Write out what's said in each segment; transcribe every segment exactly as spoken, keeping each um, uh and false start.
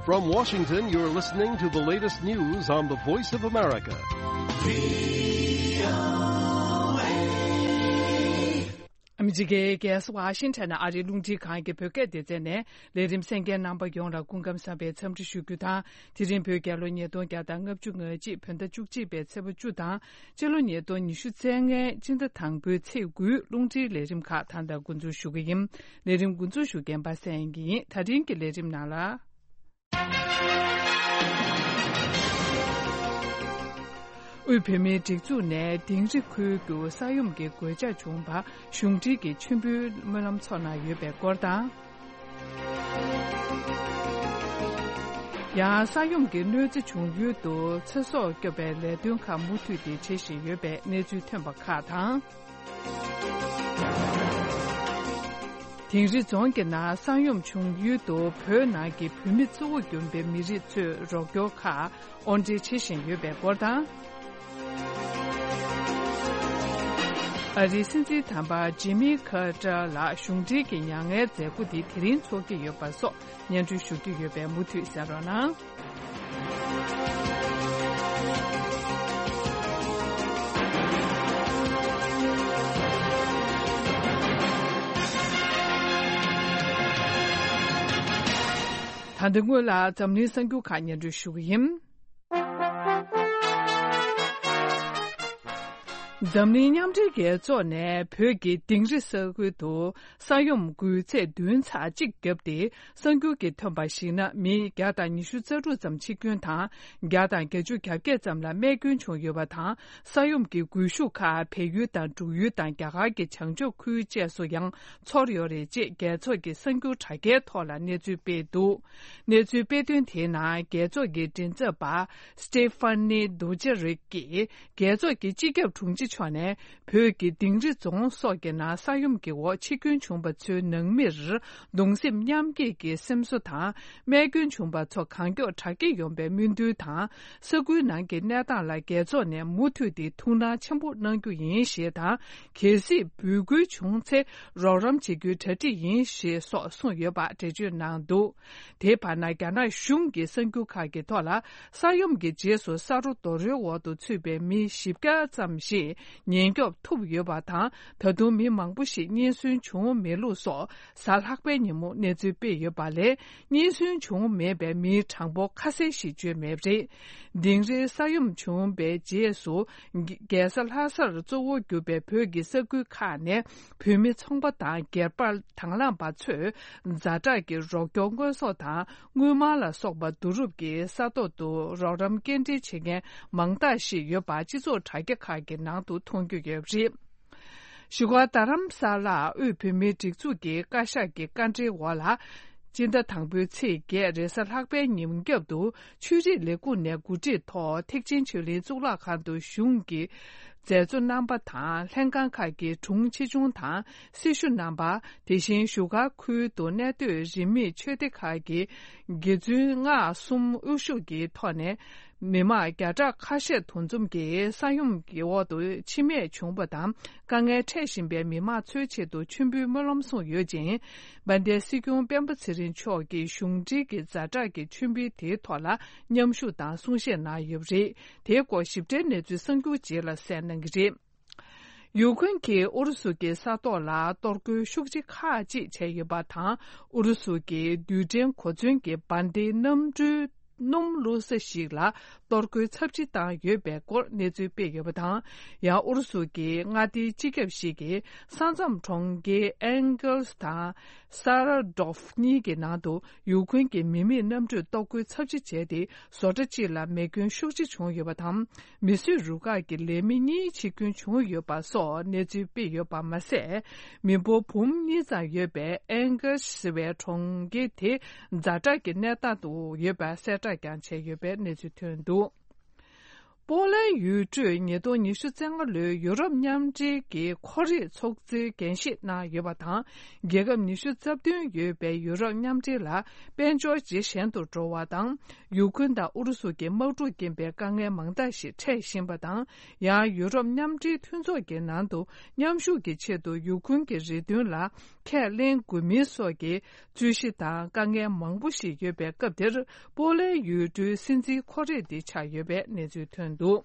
From Washington, you're listening to the latest news on the Voice of America. ཨ་མི་རི་ཀའི་རྒྱལ་ས་ཝ་ཤིང་ཊོན་ཨ་རིའི་རླུང་འཕྲིན་ཁང་གི་བོད་སྐད་སྡེ་ཚན་ནས་ལས་རིམ་གསན་མཁན་རྣམ་པ་ཡོངས་ལ་སྐུ་ཁམས་བཟང་བའི་འཚམས་འདྲི་ཞུ་རྒྱུ་དང་། དེ་རིང་བོད་རྒྱལ་ལོ་ཉིས་སྟོང་བརྒྱ་དང་ལྔ་བཅུ་ང་གཅིག་བོད་ཟླ་བཅུ་གཅིག་པའི་ཚེས་པ་བཅུ་དང་། སྤྱི་ལོ་ཉིས་སྟོང་ཉི་ཤུ་རྩ་ལྔའི་སྤྱི་ཟླ་དང་པོའི་ཚེས་དགུའི་རླུང་འཕྲིན་ལས་རིམ་ཁག་ད་ལྟ་འགོ་འཛུགས་ཞུ་གི་ཡིན། ལས་རིམ་འགོ་འཛུགས་ཞུ་མཁན་པ་སངས་དབྱངས་སྐྱིད་ཡིན། ད་རིང་གི་ལས་རིམ་ནང་ལ། དབུས་བོད་མིའི་སྒྲིག་འཛུགས་ནས་དིང་རི་ཁུལ་དུ་ས་ཡོམ་གྱི་གོད་ཆག་བྱུང་བར་གཞུང་འབྲེལ་གྱི་མཆོད་འབུལ་སྨོན་ལམ་ཚོགས་གནང་ཡོད་པའི་སྐོར་དང་། ཡང་ས་ཡོམ་གྱི་གནོད་འཚེ་བྱུང་ཡུལ་དུ་ཚེ་སྲོག་སྐྱོབ་པའི་ལས་དོན་ཁག་མུ་མཐུད་དེ་བྱེད་བཞིན་ཡོད་པའི་གནས་ཚུལ་ཐོན་པ་ཁག་དང་། དིང་རི་རྫོང་གི་ནང་ས་ཡོམ་བྱུང་ཡུལ་དུ་བོད་ནང་གི་བོད་མི་གཙོ་བོ་གྱུར་པའི་མི་རིགས་ཚོས་རོགས་སྐྱོར་ཁག་དབོར་འདྲེན་བྱེད་བཞིན་ཡོད་པའི་སྐོར་དང་། ཨ་རིའི་སྲིད་འཛིན་དམ་པ་ཇི་མི་ཁར་ཏར་ལགས་གཞུང་འབྲེལ་གྱི་མྱ་ངན་མཛད་སྒོ་དེ་དེ་རིང་འཚོགས་ཀྱི་ཡོད་པ་སོགས་སྙན་སྒྲོན་ཞུ་རྒྱུ་ཡོད་པས་མུ་མཐུད་གསན་རོགས་གནང་། ད་ལྟ་སྔོན་ལ་འཛམ་གླིང་གསར་འགྱུར་ཁག་སྙན་སྒྲོན་ཞུ་གི་ཡིན། འཛམ་གླིང་མཉམ་འབྲེལ་རྒྱལ་ཚོགས་ནས་བོད་ཀྱི་དིང་རི་ས་ཁུལ་དུ་ས་ཡོམ་འགུལ་ཚད་བདུན་ཚེག་གཅིག་བརྒྱབ་སྟེ། གསར་འགྱུར་གྱིས་ཐོན་པར་གཞིགས་ན། མི་བརྒྱ་དང་ཉི་ཤུ་རྩ་དྲུག་ཙམ་འཆི་སྐྱོན་དང་། བརྒྱ་དང་བརྒྱད་ཅུ་གྱ་བརྒྱད་ཙམ་ལ་རྨས་སྐྱོན་བྱུང་ཡོད་པ་དང་། ས་ཡོམ་གྱི་འགུལ་ཤུགས་ཁག་བལ་ཡུལ་དང་འབྲུག་ཡུལ་དང་རྒྱ་གར་གྱི་བྱང་ཕྱོགས་ཁུལ་བཅས་སུ་ཡང་ཚོར་ཡོད་རེད་ཅེས་རྒྱལ་ཚོགས་ཀྱི་གསར་འགྱུར་དྲ་རྒྱའི་ཐོག་ལ་གནས་ཚུལ་སྤེལ་འདུག་གནས་ཚུལ་སྤེལ་དོན་དེའི་ནང་རྒྱལ་ཚོགས་ཀྱི་མགྲིན་ཚབ་པ་སི་ཏེ་ཕ་ནི་དུ་ཇེ་རིག་གིས། རྒྱལ་ཚོགས་ཀྱི་སྤྱི་ཁྱབ་དྲུང་ཆེ་མཆོག་ནས་བོད་ཀྱི་དིང་རི་རྫོང་སོགས་ཀྱི་ནང་ས་ཡོམ་གྱི་འོག་འཆི་སྐྱོན་བྱུང་བ་ཚོའི་ནང་མིར་གདུང་སེམས་མཉམ་སྐྱེད་ཀྱི་སེམས་གསོ་དང་། རྨས་སྐྱོན་བྱུང་བ་ཚོ་གང་མགྱོགས་དྲག་སྐྱེད་ཡོང་བའི་སྨོན་འདུན་དང་། ས་ཁུལ་ནང་གི་གནས་སྟངས་ལ་རྒྱལ་ཚོགས་ནས་མུ་མཐུད་དེ་ཐུགས་སྣང་ཆེན་པོ་གནང་རྒྱུ་ཡིན་ཞེས་དང་། གལ་སྲིད་འབོད་སྐུལ་བྱུང་ཚེ་རོགས་རམ་བྱེད་རྒྱུའི་གྲ་སྒྲིག་ཡིན་ཞེས་སོགས་གསུངས་ཡོད་པ་འགྲེལ་བརྗོད་གནང་འདུག་དེའི་བར་ན། རྒྱ་ནག་གཞུང་གི་གསར་འགྱུར་ཁག་གི་ཐོག་ལ། ས་ཡོམ་གྱི་རྗེས་སུ་ས་རོ་རྡོ་རོའི་འོག་ཏུ་ཚུད་པའི་མི་བཞི་བརྒྱ་ཙམ་ཞིག་ཉེན་སྐྱོབ་ཐུབ་ཡོད་པ་དང་། ད་དུང་མི་མང་པོ་ཞིག་རྙེད་སོན་བྱུང་མེད་ལུགས་སོགས། གཟའ་ལྷག་པའི་ཉིན་མོ་གནས་ཚུལ་སྤེལ་ཡོད་པ་ལས། རྙེད་སོན་བྱུང་མེད་པའི་མིའི་གྲངས་འབོར་ཁ་གསལ་ཞིག་བརྗོད་མེད་པ་རེད། དིང་རིའི་ས་ཡོམ་བྱུང་བའི་རྗེས་སུ། རྒྱལ་ས་ལྷ་སར་གཙོ་བོ་གྱུར་པའི་བོད་ཀྱི་ས་ཁུལ་ཁག་ནས། བོད་མི་ཚོང་པ་དང་སྒེར་པ་དང་བླངས་པ་ཚོས་ཛ་དྲག་གི་རོགས་སྐྱོར་དངོས་ཟོག་དང་དངུལ་སྨར་ལ་སོགས་པ་བསྡུ་རུབ་ཀྱིས་ས་ཐོག་ཏུ་རོགས་རམ་སྐྱེལ་འདྲེན་བྱེད་མཁན་མང་དག་ཞིག་ཡོད་པ་སྤྱི་ཚོགས་དྲ་རྒྱ་ཁག་གི་ནང་དུ་མཐོང་རྒྱུ་ཡོད་པ་རེད། བཞུགས་སྒར་རྡ་རམ་ས་ལར་དབུས་བོད་མིའི་སྒྲིག་འཛུགས་ཀྱི་བཀའ་ཤག་གི་བཀའ་འཁྲོལ་འོག་ལ། སྤྱི་ཟླ་དང་པོའི་ཚེས་བརྒྱད་རེས་གཟའ་ལྷག་པའི་ཉིན་རྒྱབ་ཏུ། ཆོས་རིག་ལས་ཁུངས་ནས་གོ་སྒྲིག་ཐོག་ཐེག་ཆེན་ཆོས་གླིང་གཙུག་ལག་ཁང་དུ་གཞུང་གི་མཛད་གཙོ་རྣམ་པ་དང་། ལྷན་ཁང་ཁག་གི་དྲུང་ཆེ་ཆུང་དང་སྲི་ཞུ་རྣམ་པ། དེ་བཞིན་བཞུགས་སྒར་ཁུལ་དུ་གནས་སྡོད་རིས་མེད་ཆོས་སྡེ་ཁག་གི་དགེ་བཙུན་ལྔ་གསུམ་དབུ་བཞུགས་ཀྱི་ཐོག་ནས། མི་མང་བརྒྱ་ཕྲག་ཁ་ཤས་འདུ་འཛོམས་ཀྱིས་ས་ཡོམ་གྱི་འོག་ཏུ་འཆི་རྨས་བྱུང་བ་དང་། དཀའ་ངལ་འཕྲད་བཞིན་པའི་མི་མང་ཚོའི་ཆེད་དུ་མཆོད་འབུལ་སྨོན་ལམ་གསུངས་ཡོད་ཅིང་། དཔལ་ལྡན་སྲིད་སྐྱོང་སྤེན་པ་ཚེ་རིང་མཆོག་གིས་གཞུང་འབྲེལ་གྱི་ཛ་དྲག་གི་མཆོད་འབུལ་དེའི་ཐོག་ལ་མཉམ་ཞུགས་དང་གསུང་བཤད་གནང་ཡོད་པ་རེད། དེའི་སྐོར་ཞིབ་ཕྲའི་གནས་ཚུལ་གསར་འགྱུར་རྗེས་ལ་གསན་གནང་གི་རེད། ཡུ་ཁུན་གྱིས་ཨུ་རུ་སུ་གྱི་ས་ཐོག་ལ་གཏོར་རྒོལ་ཤུགས་ཆེ་ཁག་ཅིག་བྱས་ཡོད་པ་དང་། ཨུ་རུ་སུ་གྱི་རྡུལ་ཕྲན་གོ་མཚོན་གྱི་འབར་མདེལ་གནམ་གྲུའི་སྣུམ་བླུགས་ས་ཞིག་ལ་གཏོར་རྒོལ་ཚབས་ཆེ་བཏང་ཡོད་པའི་སྐོར་གནས་ཚུལ་སྤེལ་ཡོད་པ་དང་། ཡང་ཨུ་རུ་སུ་གྱི་མངའ་སྡེའི་སྤྱི་ཁྱབ་ཞིག་གིས་ས་མཚམས་གྲོང་ཁྱེར་ཨེན་གལ་སི་དང་ས་ར་ཌོབ་གཉིས་ཀྱི་ནང་དུ་ཡུ་ཁུན་གྱི་མི་མེད་གནམ་གྲུས་གཏོར་རྒོལ་ཚབས་ཆེ་བྱས་ཏེ། བཟོ་གྲྭ་གཅིག་ལ་མེ་སྐྱོན་ཤུགས་ཆེ་བྱུང་ཡོད་པ་དང་། མི་གསོད་རུ་ཁག་གི་ལས་མི་གཉིས་འཆི་སྐྱོན་བྱུང་ཡོད་པ་སོགས་གནས་ཚུལ་སྤེལ་ཡོད་པ་མ་ཟད། མི་འབོར་འབུམ་གཉིས་ཙམ་ཡོད་པའི་ཨེན་གལ་ཟེར་བའི་གྲོང་ཁྱེར་དེ་ཛ་དྲག་གི་གནས་སྟངས་སུ་ཡོད་པ་གསལ་བསྒྲགས་ཀྱང་བྱས་ཡོད་པའི་གནས་ཚུལ་ཐོན་འདུག་པོ་ལན་ཡུལ་གྲུས་ཉིས་སྟོང་ཉི་ཤུ་རྩ་ལྔ་ལོའི་ཡུ་རོབ་མཉམ་འབྲེལ་གྱི་ཁོར་ཡུག་ཚོགས་འདུའི་འགན་བཞེས་གནང་ཡོད་པ་དང་། རྒྱལ་ཁབ་ཉི་ཤུ་རྩ་བདུན་ཡོད་པའི་ཡུ་རོབ་མཉམ་འབྲེལ་ལ་དཔལ་འབྱོར་ཇེ་ཞན་དུ་འགྲོ་བ་དང་། ཡུ་ཁུན་དང་ཨུ་རུ་སུ་གྱི་དམག་འཁྲུག་རྐྱེན་པས་དཀའ་ངལ་མང་དག་ཞིག་འཕྲད་བཞིན་པ་དང་། ཡང་ཡུ་རོབ་མཉམ་འབྲེལ་མཐུན་ཚོགས་ཀྱི་ནང་དུ་མཉམ་ཞུགས་ཀྱི་ཆེད་དུ་ཡུ་ཁུན་གྱི་རེ་འདུན་ལ་ཁས་ལེན་དགོས་མིན་སོགས་ཀྱི་རྩོད་གཞི་དང་དཀའ་ངལ་མང་པོ་ཞིག་ཡོད་པའི་སྐབས་དེར། པོ་ལན་ཡུལ་གྲུའི་སྲིད་འཛིན་ཁོ་རེ་འདི་ཆགས་ཡོད་པའི་གནས་ཚུལ་ཐོན་འདུག།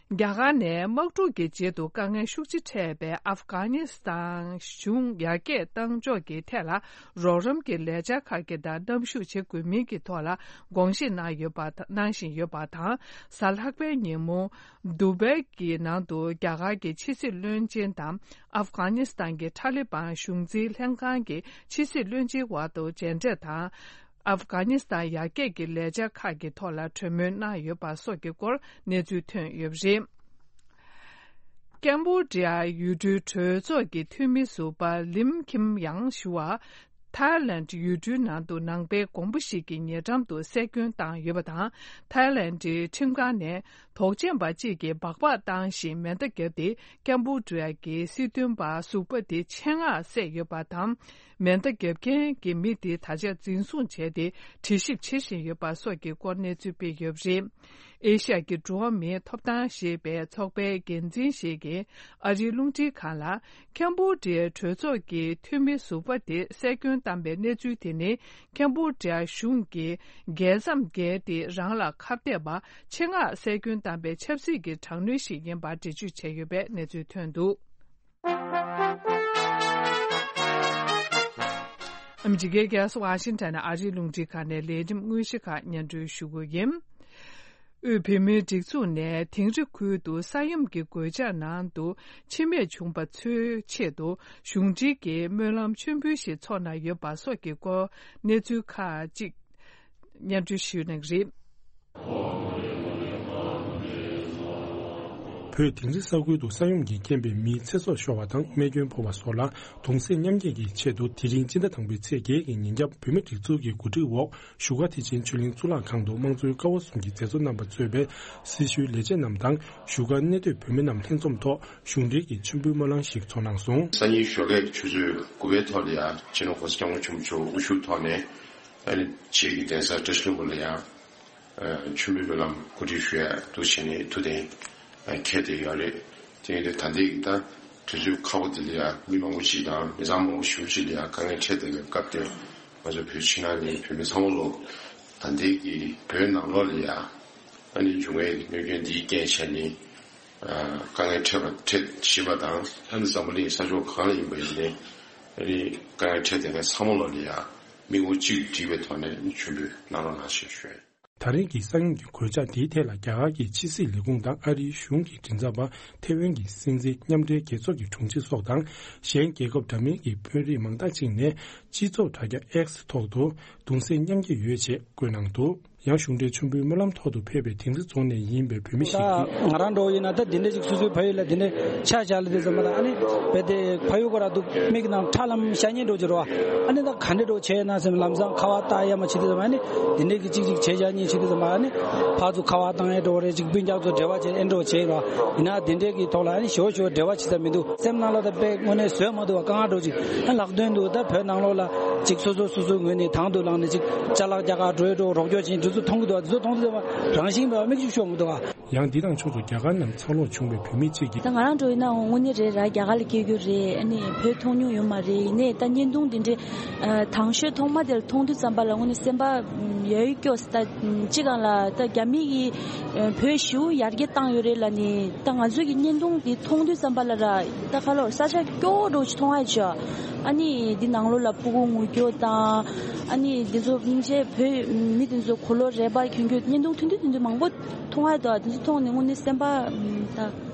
རྒྱ་གར་ནས་དམག་འཁྲུག་གི་རྗེས་སུ་དཀའ་ངལ་ཤུགས་ཆེ་འཕྲད་པའི་ཨབ་གྷ་ནི་སི་ཐན་གཞུང་ཡར་རྒྱས་གཏང་ཕྱོགས་ཀྱི་ཐད་ལ་རོགས་རམ་གྱི་ལས་འཆར་ཁག་གི་དང་མཉམ་ཞུགས་བྱེད་དགོས་མིན་གྱི་ཐོག་ལ་དགོངས་བཞེས་གནང་ཡོད་པ་གནང་བཞིན་ཡོད་པ་དང་། གཟའ་ལྷག་པའི་ཉིན་མོ་དུ་བྷའི་གི་ནང་དུ་རྒྱ་གར་གྱི་ཕྱི་སྲིད་བློན་ཆེན་དང་ཨབ་གྷ་ནི་སི་ཐན་གྱི་ཐ་ལི་བན་གཞུང་འཛིན་ལྷན་ཁང་གི་ཕྱི་སྲིད་བློན་ཆེན་དབར་དུ་མཇལ་འཕྲད་དང་། ཨབ་གྷ་ནི་སི་ཐན་ཡར་རྒྱས་ཀྱི་ལས་འཆར་ཁག་གི་ཐོག་ལ་གྲོས་མོལ་གནང་ཡོད་པ་སོགས་ཀྱི་སྐོར་གནས་ཚུལ་ཐོན་ཡོད་པ་རེད། ཀེམ་བྷོ་ཌི་ཡ་ཡུལ་གྲུའི་གྲོས་ཚོགས་ཀྱི་འཐུས་མི་ཟུར་པ་ལིམ་ཁིམ་ཡང་ཞུ་བ། ཐའི་ལེནྜ་ཡུལ་གྲུའི་ནང་དུ་ནང་པའི་དགོན་པ་ཞིག་གི་ཉེ་འགྲམ་དུ་སྲོལ་རྒྱུན་བཏང་ཡོད་པ་དང་། ཐའི་ལེནྜ་ཁྲིམས་ཁང་ནས་དོགས་ཅན་པ་གཅིག་གིས་སྦག་སྦག་བཏང་ཞིང་མེ་མདའ་བརྒྱབ་སྟེ། ཀེམ་བྷོ་ཌི་ཡ་གི་སྲིད་དོན་པ་ཟུར་པ་དེ་ཆེད་མངགས་བསད་ཡོད་པ་དང་། མེ་མདའ་བརྒྱབ་མཁན་གྱི་མི་དེ་ད་ཆ་འཛིན་བཟུང་བྱས་ཏེ་དྲི་ཞིབ་བྱེད་བཞིན་ཡོད་པ་སོགས་ཀྱི་སྐོར་གནས་ཚུལ་སྤེལ་ཡོད་པ་རེད། ཨེ་ཤ་ཡ་གི་འགྲོ་བ་མིའི་ཐོབ་ཐང་ཞེས་པའི་ཚོགས་པའི་འགན་འཛིན་ཞིག་གིས་ཨ་རིའི་རླུང་འཕྲིན་ཁང་ལ། ཀེམ་བྷོ་ཌི་ཡའི་གྲོས་ཚོགས་ཀྱི་འཐུས་མི་ཟུར་པ་དེ་བསད་སྐྱོན་བཏང་པའི་གནས་ཚུལ་དེ་ནི། ཀེམ་བྷོ་ཌི་ཡ་གཞུང་གིས་རྒྱལ་མཚམས་བརྒལ་ཏེ་རང་ལ་ཁ་གཏད་པ་ཆེད་མངགས་བསད་སྐྱོན་བཏང་པའི་ཆབ་སྲིད་ཀྱི་དྲག་གནོན་ཞིག་ཡིན་པར་འགྲེལ་བརྗོད་བྱས་ཡོད་པའི་གནས་ཚུལ་ཐོན་འདུག། ཨ་མི་རི་ཀའི་རྒྱལ་ས་ཝ་ཤིང་ཊོན་ནས་ཨ་རིའི་རླུང་འཕྲིན་ཁང་ནས་ལས་རིམ་དངོས་གཞི་ཁག་སྙན་སྒྲོན་ཞུ་གི་ཡིན། དབུས་བོད་མིའི་སྒྲིག་འཛུགས་ནས་དིང་རི་ཁུལ་དུ་ས་ཡོམ་གྱི་གོད་ཆག་ནང་དུ་འཆི་རྨས་བྱུང་པ་ཚོའི་ཆེད་དུ་གཞུང་འབྲེལ་གྱི་སྨོན་ལམ་མཆོད་འབུལ་ཞིག་འཚོགས་གནང་ཡོད་པ་སོགས་ཀྱི་སྐོར་གནས་ཚུལ་ཁག་ཅིག་སྙན་སྒྲོན་ཞུ་གནང་གི་རེད། བོད་དིང་རི་ས་ཁུལ་དུ་ས་ཡོམ་གྱི་རྐྱེན་པས་མིའི་ཚེ་སྲོག་ཤོར་བ་དང་རྨས་སྐྱོན་ཕོག་པ་སོགས་ལ་གདུང་སེམས་མཉམ་སྐྱེད་ཀྱི་ཆེད་དུ། དེ་རིང་སྤྱི་ཟླ་དང་པོའི་ཚེས་བརྒྱད་ཀྱི་ཉིན་རྒྱབ་བོད་མིའི་སྒྲིག་འཛུགས་ཀྱི་གོ་སྒྲིག་འོག་བཞུགས་སྒར་མཐིལ་ཆེན་ཆོས་གླིང་གཙུག་ལག་ཁང་དུ་དམངས་གཙོའི་ཀ་བ་གསུམ་གྱི་མཛད་གཙོ་རྣམ་པ་གཙོས་པའི་སྲི་ཞུའི་ལས་བྱེད་རྣམས་དང་། བཞུགས་སྒར་གནས་སྡོད་བོད་མི་རྣམས་ལྷན་འཛོམས་ཐོག་གཞུང་འབྲེལ་གྱི་མཆོད་འབུལ་སྨོན་ལམ་ཞིག་འཚོགས་གནང་སོང་། སང་ཉིན་ཞོགས་ཀས་ཆུ་ཚོད་དགུ་པའི་ཐོག་ལ་ཡང་སྤྱི་ནོར་གོང་ས་སྐྱབས་མགོན་ཆེན་པོ་མཆོག་དབུ་བཞུགས་ཐོག་ནས་ཨ་ནི་བཅས་ཀྱི་གདན་ས་བཀྲ་ཤིས་ལྷུན་པོ་ལ་ཡང་། ཨ། མཆོད་འབུལ་སྨོན་ལམ་གོ་སྒྲིག་ཞུ་ཡ་འདུག་བྱས་ནས་ཐུགས་གཏན་ཨ་འཁེལ་བསྡད་ཡོད་རེད། དེ་ཡིན་དུས་ད་ལྟའི་གི་ད་དུས་ཚོད་ཁག་པོ་འདི་ལ་ཡ་མི་མང་པོ་ཞིག་དང་མི་ཚང་མང་པོ་ཞེ་པོ་ཅིག་ལ་ཡ་དཀའ་ངལ་འཕྲད་བསྡད་པའི་སྐབས་དེར། ང་ཚོ་བོད་ཕྱི་ནང་གི་བོད་མི་ཚང་མ་ལོ་ད་ལྟའི་གི་བོད་ནང་ལོགས་ལ་ཡ་ཨ་ནི་འབྱུང་བའི་གནོད་སྐྱོན་འདིའི་རྐྱེན་བྱས་ནས། ཨ། དཀའ་ངལ་འཕྲད་པ་འཕྲད་བཞིན་པ་དང་། ཨ་ནི་འཛམ་བུ་གླིང་ས་ཕྱོགས་གང་ལ་ཡིན་པ་ཡིན་ནའི་ཨ་ནི་དཀའ་ངལ་འཕྲད་བསྡད་མཁན་ཚང་མ་ལོ་ལ་ཡ་མིག་ངོ་གཅིག་ཏུ་བསྒྲིལ་བའི་ཐོག་ནས་མཆོད་འབུལ་གནང་རོགས་གནང་ཞེས་ཞུ། ད་རིང་གི་ས་ཡོམ་གྱི་གོད་ཆག་དེའི་ཐད་ལ་རྒྱ་གར་གྱི་ཕྱི་སྲིད་ལས་ཁུངས་དང་ཨ་རིའི་གཞུང་གི་མགྲིན་ཚབ་པ། ཐེ་ཝན་གྱི་སྲིད་འཛིན། མཉམ་འབྲེལ་རྒྱལ་ཚོགས་ཀྱི་དྲུང་ཆེ་སོགས་དང་། གཞན་རྒྱལ་ཁབ་འདྲ་མིན་གྱི་དཔོན་རིགས་མང་དག་ཅིག་ནས་སྤྱི་ཚོགས་དྲ་རྒྱ་X་ཐོག་ཏུ་གདུང་སེམས་མཉམ་སྐྱེད་ཡོད་ཅེས་བཀོད་གནང་འདུག། ཡང་གཞུང་འབྲེལ་མཆོད་འབུལ་སྨོན་ལམ་ཐོག་ཏུ་ཕེབས་པའི་དིང་རི་རྫོང་ནས་ཡིན་པའི་བོད་མི་ཞིག་གིས། ད་ང་རང་འདྲ་བོ་ཡིན་ན་ད་འདི་འདྲ་ཞིག་སོ་སོའི་ཕ་ཡུལ་ལ་འདི་འདྲ་ཆ་བཞག་ལ་དེ་ཙམ་མ་ད་ཨ་ནི་བེ་དེ་ཕ་ཡུལ་ཁོ་ར་འདུག་མིག་ནང་ཁྲ་ལམ་ཤ་ཉེ་འགྲོ་གི་རོ། ཨ་ནི་ད་ག་འདྲ་འགྲོ་བྱས་ན་སེམས་ལམ་སང་ཁ་བ་བཏགས་ཡ་མ་བྱེད་དེ་ཙམ་ཨ་ནི་འདི་འདྲ་གི་ཅིག་ཅིག་བྱས་བཞག་ཉིན་བྱེད་དེ་ཙམ་ཨ་ནི་ཕར་ཚུར་ཁ་བ་བཏང་ཡ་འགྲོ་རེད། ཅིག་སྤུན་ཀྱག་ཚོ་འབྲེལ་བ་བྱས་ཨེ་འགྲོ་བྱས་རོ། ཡིན་ན་འདི་འདྲ་གི་ཐོག་ལ་ཨ་ནི་ཞོ་ཞོ་འབྲེལ་བ་བྱེད་ས་མི་འདུག། སེམས་ནང་ལ་ད་དཔེ་དངོས་གནས་བཟོད་མ་ཐུབ་པ་དཀའ་ངལ་འགྲོ་ཅིག་ཨ་ལག་དོན་དུ་ད་བོད་ནང་ལོགས་ལ་ཅིག་སོ་སོ་སོ་སོའི་ངོས་ནས་དང་དུ་བླངས་ནས་ཅིག་ཅ་ལག་རྒྱ་གར་འགྲོ་ཡ་འགྲོ་རོགས་སྐྱོར་བྱེད་འདི་ཚོ་མཐོང་གི་འདུག། འདི་ཚོ་མཐོང་དུས་ཙམ་པ་རང་བཞིན་པ་མིག་ཆུ་ཤོར་མི་འདུག་ཨ། ཡང་འདི་དང་ཕྱོགས་སུ་རྒྱ་གར་ནང་འཚར་ལོངས་བྱུང་བའི་བོད་མི་གཅིག་གིས། ད་ང་རང་འགྲོ་ཡིན་ན་དངོས་གནས་རེད་ར། རྒྱ་གར་ལ་སྐྱེས་རྒྱུ་རེད། ཨ་ནི་བོད་མཐོང་མྱོང་ཡོད་མ་རེད། ཡིན་ནའི་ད་བརྙན་ཐུང་འདི་འདྲའི་ཨ་དང་ཤོས་ཐོག་མ་དེ་ལ་མཐོང་དུས་ཙམ་པ་ལ་དངོས་གནས་སེམས་པ་ཡ་ཡི་སྐྱོ་ས། ད་སྤྱི་སྒང་ལ་ད་རྒྱ་མི་གིས་བོད་ཞེ་པོ་ཡར་རྒྱས་བཏང་ཡོད་རེད་ལབ་ནི། ད་ང་ཚོ་གི་བརྙན་ཐུང་འདི་མཐོང་དུས་ཙམ་པ་ལ་ར། ད་ཁ་ལོར་ས་ཆ་སྐྱོ་བོ་འདྲ་ཅིག་མཐོང་ཡ་ཅིག། ཨ་ནི་འདི་ནང་ལོགས་ལ་ཕྲུ་གུ་ངུ་རྒྱུ་དང་། ཨ་ནི་འདི་ཚོ་སྙིང་རྗེ་བོད་མི་འདི་ཚོ་གོ་ལོ་རས་པ་གྱོན་རྒྱུ། བརྙན་ཐུང་ཐུང་ཐུང་ཐུང་ཐུང་མང་པོ་མཐོང་ཡ་འདུག། འདི་ཚོ་མཐོང་ནས་དངོས་གནས་སེམས་པ་ད་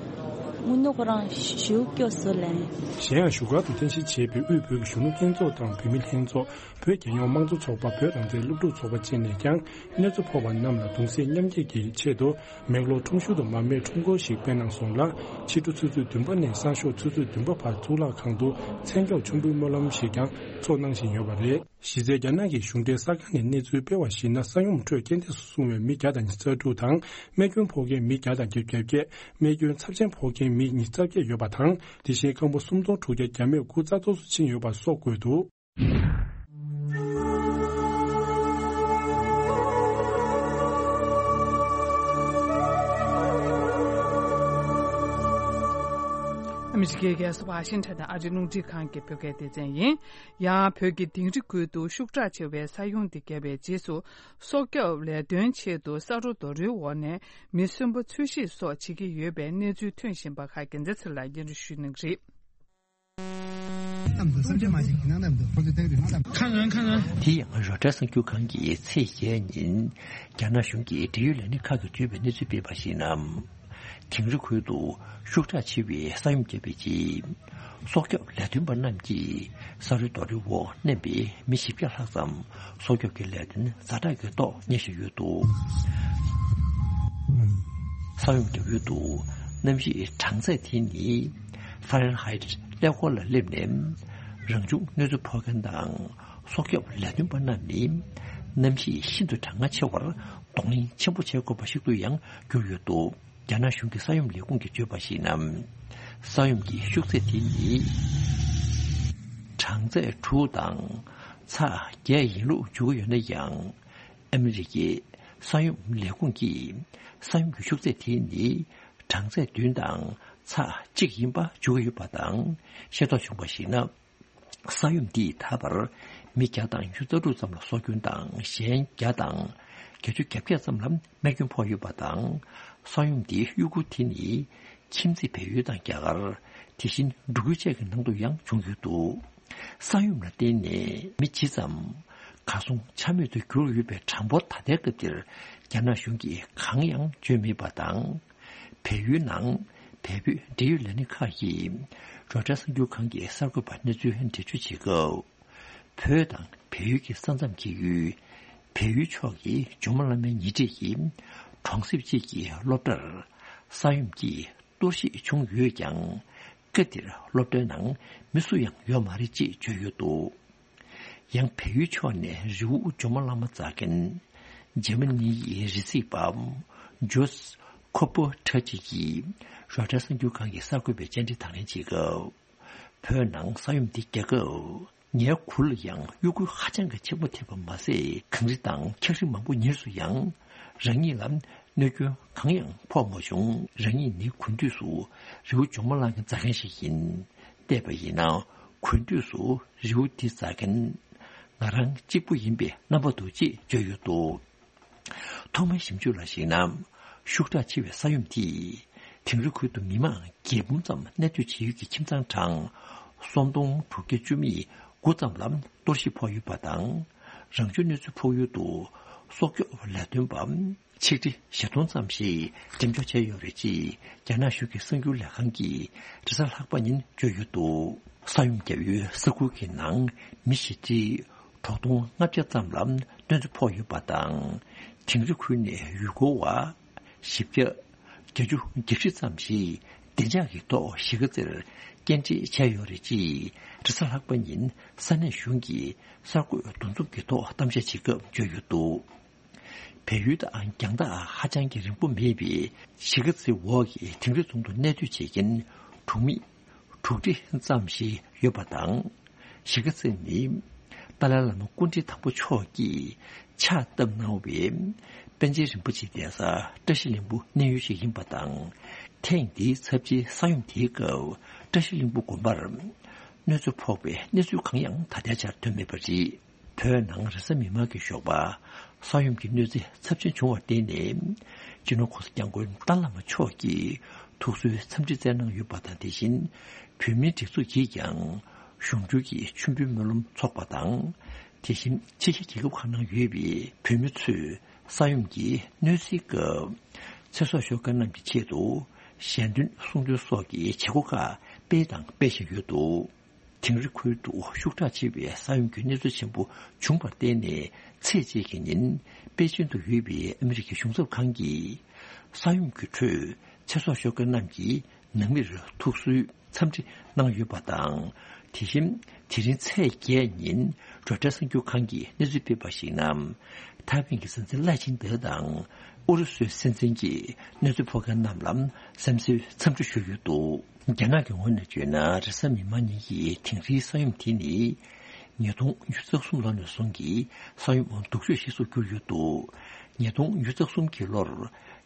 དངོས་གནས་ཁོ་རང་ཞེ་པོ་སྐྱོ་སོང་ལན། གཞན་ཡང་བཞུགས་སྒར་དུ་རྟེན་གཞི་བྱས་པའི་དབུས་བོད་ཀྱི་གཞོན་ནུ་ལྷན་ཚོགས་དང་བོད་མི་ལྷན་ཚོགས། བོད་རྒྱལ་ཡོངས་དམངས་གཙོ་ཚོགས་པ། བོད་རང་བཙན་སློབ་ཕྲུག་ཚོགས་པ་བཅས་ནས་ཀྱང་གནོད་འཚེ་ཕོག་པ་རྣམས་ལ་གདུང་སེམས་མཉམ་སྐྱེད་ཀྱི་ཆེད་དུ། མེག་ལོར་ཁྲོམ་གཞུང་དུ་མར་མེའི་ཁྲོམ་སྐོར་ཞིག་སྤེལ་གནང་སོང་ལ། ཕྱི་དྲོ་ཆུ་ཚོད་བདུན་པ་ནས་སང་ཞོགས་ཆུ་ཚོད་བདུན་པ་བར་གཙུག་ལག་ཁང་དུ་མཚན་སྐྱོང་མཆོད་འབུལ་སྨོན་ལམ་ཞིག་ཀྱང་འཚོགས་གནང་བཞིན་ཡོད་པ་རེད། གཞི་རྩའི་རྒྱ་ནག་གི་གཞུང་འབྲེལ་གསར་ཁང་ནས་གནས་ཚུལ་སྤེལ་བར་གཞིགས་ན། ས་ཡོམ་ཁྲོད་རྐྱེན་འདས་སུ་སོང་བའི་མི་བརྒྱ་དང་ཉི་ཤུ་རྩ་དྲུག་དང་། རྨས་སྐྱོན་ཕོག་མཁན་མི་བརྒྱ་དང་བརྒྱད་ཅུ་གྱ་བརྒྱད། རྨས་སྐྱོན་ཚབས་ཆེན་ཕོག་མཁན་མི་ཉི་ཤུ་རྩ་བརྒྱད་ཡོད་པ་དང་། དེ་བཞིན་སྐམ་པོ་སུམ་སྟོང་དྲུག་བརྒྱ་གྱ་མེད་དགུ་རྩ་གཏོར་སོ་ཕྱིན་ཡོད་པ་སོགས་བཀོད་འདུག། ཨ་མི་རི་ཀའི་རྒྱལ་ས་ཝ་ཤིང་ཊོན་དང་ཨ་རིའི་རླུང་འཕྲིན་ཁང་གི་བོད་སྐད་སྡེ་ཚན་ཡིན། ཡང་བོད་ཀྱི་དིང་རི་ཁུལ་དུ་ཤུགས་དྲག་ཆེ་བའི་ས་ཡོམ་དེ་བརྒྱབ་པའི་རྗེས་སུ། སྲོག་སྐྱོབ་ལས་དོན་ཆེད་དུ་ས་རོ་རྡོ་རིང་འོག་ནས་མི་གསོན་པོ་འཚོལ་ཞིབ་སོགས་བྱེད་ཀྱི་ཡོད་པའི་གནས་ཚུལ་ཐོན་བཞིན་པ་ཁག་རྒྱལ་མཚན་ཚེ་ལ་སྙན་སྒྲོན་ཞུ་གནང་གི་རེད། དེ་ཡང་རོ་ཊར་གསར་འགྱུར་ཁང་གིས་ཚེས་བརྒྱད་ཉིན་རྒྱ་ནག་གཞུང་གིས་འབྲེལ་ཡོད་ལས་སྣེ་ཁག་གིས་བརྗོད་པའི་གནས་ཚུལ་སྤེལ་བར་གཞིགས་ན། དིང་རི་ཁུལ་དུ་ཤུགས་དྲག་ཆེ་བའི་ས་ཡོམ་བརྒྱབ་པའི་རྗེས། སྲོག་སྐྱོབ་ལས་དོན་པ་རྣམས་ཀྱིས་ས་རོའི་རྡོ་རིང་འོག་མནན་པའི་མི་བཞི་བརྒྱ་ལྷག་ཙམ་སྲོག་སྐྱོབ་ཀྱི་ལས་དོན་ཛ་དྲག་གི་ཐོག་གཉེར་བཞིན་ཡོད་འདུག། ས་ཡོམ་བརྒྱབ་ཡུལ་དུ་གནམ་གཤིས་གྲང་ཚད་དེ་ནི་ཧྥ་རན་ཧའིཊ་ཀླད་ཀོར་ལ་སླེབས་ནས། རང་བྱུང་གནོད་འཚེ་ཕོག་མཁན་དང་སྲོག་སྐྱོབ་ལས་དོན་པ་རྣམས་ནི་གནམ་གཤིས་ཤིན་ཏུ་གྲང་ངར་ཆེ་བར་གདོང་ལེན་ཆེན་པོ་བྱེད་དགོས་པ་ཞིག་ཏུ་ཡང་གྱུར་ཡོད་འདུག། རྒྱ་ནག་གཞུང་གི་ས་ཡོམ་ལས་ཁུངས་ཀྱིས་བརྗོད་པར་གཞིགས་ན། ས་ཡོམ་གྱི་ཤུགས་ཚད་དེ་ནི་གྲངས་ཚད་དྲུག་དང་ཚེག་བརྒྱད་ཡིན་ལུགས་བརྗོད་ཀྱི་ཡོད་ན་ཡང་། ཨ་མི་རི་ཀའི་ས་ཡོམ་ལས་ཁུངས་ཀྱིས་ས་ཡོམ་གྱི་ཤུགས་ཚད་དེ་ནི་གྲངས་ཚད་བདུན་དང་ཚེག་གཅིག་ཡིན་པ་བརྗོད་ཀྱི་ཡོད་པ་དང་། ཤེས་རྟོགས་བྱུང་བར་གཞིགས་ན། ས་ཡོམ་འདིས་ད་བར་མི་བརྒྱ་དང་ཉི་ཤུ་རྩ་དྲུག་ཙམ་ལ་སྲོག་སྐྱོན་དང་། གཞན་བརྒྱ་དང་བརྒྱད་ཅུ་གྱ་བརྒྱད་ཙམ་ལ་རྨས་སྐྱོན་ཕོག་ཡོད་པ་དང་། ས་ཡོམ་འདིའི་གཡོ་འགུལ་དེ་ནི་ཁྱིམ་མཚེས་བལ་ཡུལ་དང་རྒྱ་གར། དེ་བཞིན་འབྲུག་ཡུལ་བཅས་ཀྱི་ནང་དུ་ཡང་བྱུང་ཡོད་འདུག། ས་ཡོམ་ལ་བརྟེན་ནས་མི་ཇི་ཙམ་གར་སོང་ཆ་མེད་དུ་གྱུར་ཡོད་པའི་གྲངས་འབོར་ད་ལྟའི་སྐབས་འདིར་རྒྱ་ནག་གཞུང་གིས་གང་ཡང་བརྗོད་མེད་པ་དང་། བལ་ཡུལ་ནང་བལ་བོད་འབྲེལ་ཡོད་ལས་སྣེ་ཁག་གིས་རོའི་ཊར་གསར་འགྱུར་ཁང་གི་གསར་འགོད་པར་གནས་ཚུལ་འགྲེལ་བརྗོད་བྱེད་སྐབས། བོད་དང་བལ་ཡུལ་གྱི་ས་མཚམས་བརྒྱད་ཡུལ་བལ་ཡུལ་ཕྱོགས་ཀྱི་ཇོ་མོ་གླང་མའི་ཉེ་འཁྲིས་ཀྱི་གྲོང་གསེབ་ཅིག་གི་སློབ་གྲྭར་ས་ཡོམ་གྱིས་གཏོར་བཤིག་བྱུང་ཡོད་ཀྱང་། སྐབས་དེར་སློབ་གྲྭའི་ནང་མི་སུ་ཡང་ཡོད་མ་རེད་ཅེས་བརྗོད་ཡོད་འདུག། ཡང་བལ་ཡུལ་ཕྱོགས་ནས་རི་བོ་ཇོ་མོ་གླང་མ་འཛེག་མཁན་ཇར་མ་ནི་ཡི་རི་རྩེད་པ་ཇོས་ཁོ་པོ་ཁྲ་ཅིག་གིས་རོའི་ཊར་གསར་འགྱུར་ཁང་གི་གསར་འགོད་པའི་བཅར་འདྲི་དང་ལེན་བྱེད་སྐབས། བོད་ནང་ས་ཡོམ་འདི་རྒྱག་སྐབས། ངའི་གུར་ལ་ཡང་གཡོ་འགུལ་ཧ་ཅང་གི་ཆེན་པོ་ཐེབས་པ་མ་ཟད། གངས་རི་དང་འཁྱགས་རི་མང་པོ་ཉིལ་སོང་ཡང་། རང་ཉིད་ལ་གནོད་སྐྱོན་གང་ཡང་ཕོག་མ་བྱུང་། རང་ཉིད་ནི་གུང་དུས་སུ་རི་བོ་ཇོ་མོ་གླང་མ་འཛེག་མཁན་ཞིག་ཡིན། བལྟས་པ་ཡིན་ན། གུང་དུས་སུ་རི་བོ་འདི་འཛེག་མཁན་ང་རང་གཅིག་པུ་ཡིན་པའི་རྣམ་པ་འདུག་ཅེས་བརྗོད་ཡོད་འདུག། ཐོག་མའི་ཞིབ་འཇུག་ལ་གཞིགས་ན། ཤུགས་དྲག་ཆེ་བའི་ས་ཡོམ་དེས་དིང་རི་ཁུལ་དུ་མི་མང་བརྒྱད་འབུམ་ཙམ་གནས་སྡོད་བྱེད་ཡུལ་གྱི་ཁྱིམ་ཚང་གྲངས་སུམ་སྟོང་དྲུག་བརྒྱ་བཅུ་མེད་དགུ་ཙམ་ལ་གཏོར་བཤིག་ཕོག་ཡོད་པ་དང་། རང་བྱུང་གནོད་འཚེ་ཕོག་ཡུལ་དུ་སྲོག་སྐྱོབ་ལས་དོན་པ་ཆིག་ཁྲི་བཞི་སྟོང་ཙམ་ཞིག་འགྲེམས་འཇོག་བྱས་ཡོད་རེད་ཅེས་རྒྱ་ནག་གཞུང་གི་གསར་འགྱུར་ལས་ཁང་གིས་རེས་གཟའ་ལྷག་པ་ཉིན་བརྗོད་ཡོད་འདུག། ས་ཡོམ་བརྒྱབ་ཡུལ་ས་ཁུལ་གྱི་ནང་མི་བཞི་ཁྲི་དྲུག་སྟོང་ལྔ་བརྒྱ་ཙམ་ལ་གནོད་འཚེ་ཕོག་ཡོད་པ་དང་། དིང་རི་ཁུལ་ནས་ཡུལ་སྐོར་བ་བཞི་བརྒྱ་བརྒྱད་ཅུ་གྱ་བཞི་ཙམ་ཞིག་བདེ་འཇགས་ཀྱི་ཐོག་གཞིས་ཀ་རྩེར་སྐྱེལ་འདྲེན་བྱས་ཡོད་རེད་ཅེས་རེས་གཟའ་ལྷག་པ་ཉིན་ས་གནས་གཞུང་གིས་གསར་འགོད་འདུ་འཛོམས་ཀྱི་ཐོག་གཏམ་བཤད་བྱེད་སྐབས་བརྗོད་ཡོད་འདུག། བལ་ཡུལ་དང་རྒྱང་ཐག་ཧ་ཅང་གི་རིང་པོ་མེད་པའི་གཞིས་ཀ་རྩེ་འོག་གི་དིང་རི་རྫོང་དུ་གནས་སྡོད་བྱེད་མཁན་གྲོང་མི་དྲུག་ཁྲི་ཙམ་ཞིག་ཡོད་པ་དང་། གཞིས་ཀ་རྩེ་ནི་ཏཱ་ལའི་བླ་མ་སྐུ་ཕྲེང་དང་པོ་མཆོག་གིས་ཕྱག་བཏབ་གནང་བའི་པཎ་ཆེན་རིན་པོ་ཆེའི་གདན་ས་བཀྲ་ཤིས་ལྷུན་པོ་གནས་ཡུལ་ཞིག་ཡིན་པ་དང་། ཐེངས་འདིའི་ཚབས་ཆེའི་ས་ཡོམ་དེའི་སྐབས་བཀྲ་ཤིས་ལྷུན་པོ་དགོན་པར་གནོད་འཚེ་ཕོག་པའི་གནས་ཚུལ་གང་ཡང་ད་ལྟའི་ཆར་ཐོན་མེད་པ་རེད། བོད་ནང་རེས་གཟའ་མིག་དམར་གྱི་ཞོགས་པ་ས་ཡོམ་གྱི་གནོད་འཚེ་ཚབས་ཆེན་བྱུང་བར་བརྟེན་ནས། སྤྱི་ནོར་༸གོང་ས་༸སྐྱབས་མགོན་ཏཱ་ལའི་བླ་མ་མཆོག་གིས་ཐུགས་གསོའི་འཚམས་འདྲི་སྩལ་གནང་ཡོད་པ་དང་། དེ་བཞིན་བོད་མིའི་སྒྲིག་འཛུགས་ཀྱིས་ཀྱང་གཞུང་འབྲེལ་གྱི་མཆོད་འབུལ་སྨོན་ལམ་འཚོགས་པ་དང་། དེ་བཞིན་ཕྱི་རྒྱལ་རྒྱལ་ཁབ་ཁག་ནང་ཡོད་པའི་བོད་མི་ཚོས་ས་ཡོམ་གྱི་གནོད་འཚེའི་སྐབས་ཚེ་སྲོག་ཤོར་མཁན་རྣམས་ཀྱི་ཆེད་དུ་ཞལ་འདོན་གསུང་འདོན་སོགས་ཀྱི་བྱེད་སྒོ་ཁག་སྤེལ་དང་སྤེལ་བཞིན་ཡོད་འདུག། དིང་རི་ཁུལ་དུ་ཤུགས་དྲག་ཆེ་བའི་ས་ཡོམ་གྱི་གནོད་འཚེ་ཆེན་པོ་བྱུང་བར་བརྟེན་ནས། ཚེས་གཅིག་གི་ཉིན་པེ་ཅིན་དུ་ཡོད་པའི་ཨ་མི་རི་ཀའི་གཞུང་ཚབ་ཁང་གིས་ས་ཡོམ་གྱི་ཁྲོད་ཚེ་སྲོག་ཤོར་མཁན་རྣམས་ཀྱི་ནང་མིར་ཐུགས་གསོའི་འཚམས་འདྲི་གནང་ཡོད་པ་དང་ དེ་བཞིན་དེ་རིང་ཚེས་བརྒྱད་ཉིན་རོའི་ཊར་གསར་འགྱུར་ཁང་གིས་གནས་ཚུལ་སྤེལ་བར་གཞིགས་ན། ཐའེ་ཝན་གྱི་ས་མཚམས་ལའེ་ཆིང་ཏེ་དང་ཨུ་རུ་སུའི་སྲིད་འཛིན་གྱི་གནས་ཚུལ་ཕོག་མཁན་རྣམས་ལ་བསམ་ཚུལ་འཚམས་འདྲི་ཞུས་ཡོད་འདུག་རྒྱ་ནག་གི་ངོས་ནས་བརྗོད་ན། རེས་གཟའ་མིག་དམར་ཉིན་གྱི་དིང་རིའི་ས་ཡོམ་དེ་ནི་ཉིས་སྟོང་ཉི་ཤུ་རྩ་གསུམ་ལོ་ནས་བཟུང་གི་ས་ཡོམ་སྡུག་ཤོས་ཤིག་ཏུ་གྱུར་ཡོད་འདུག་ཉིས་སྟོང་ཉི་ཤུ་རྩ་གསུམ་གྱི་ལོར་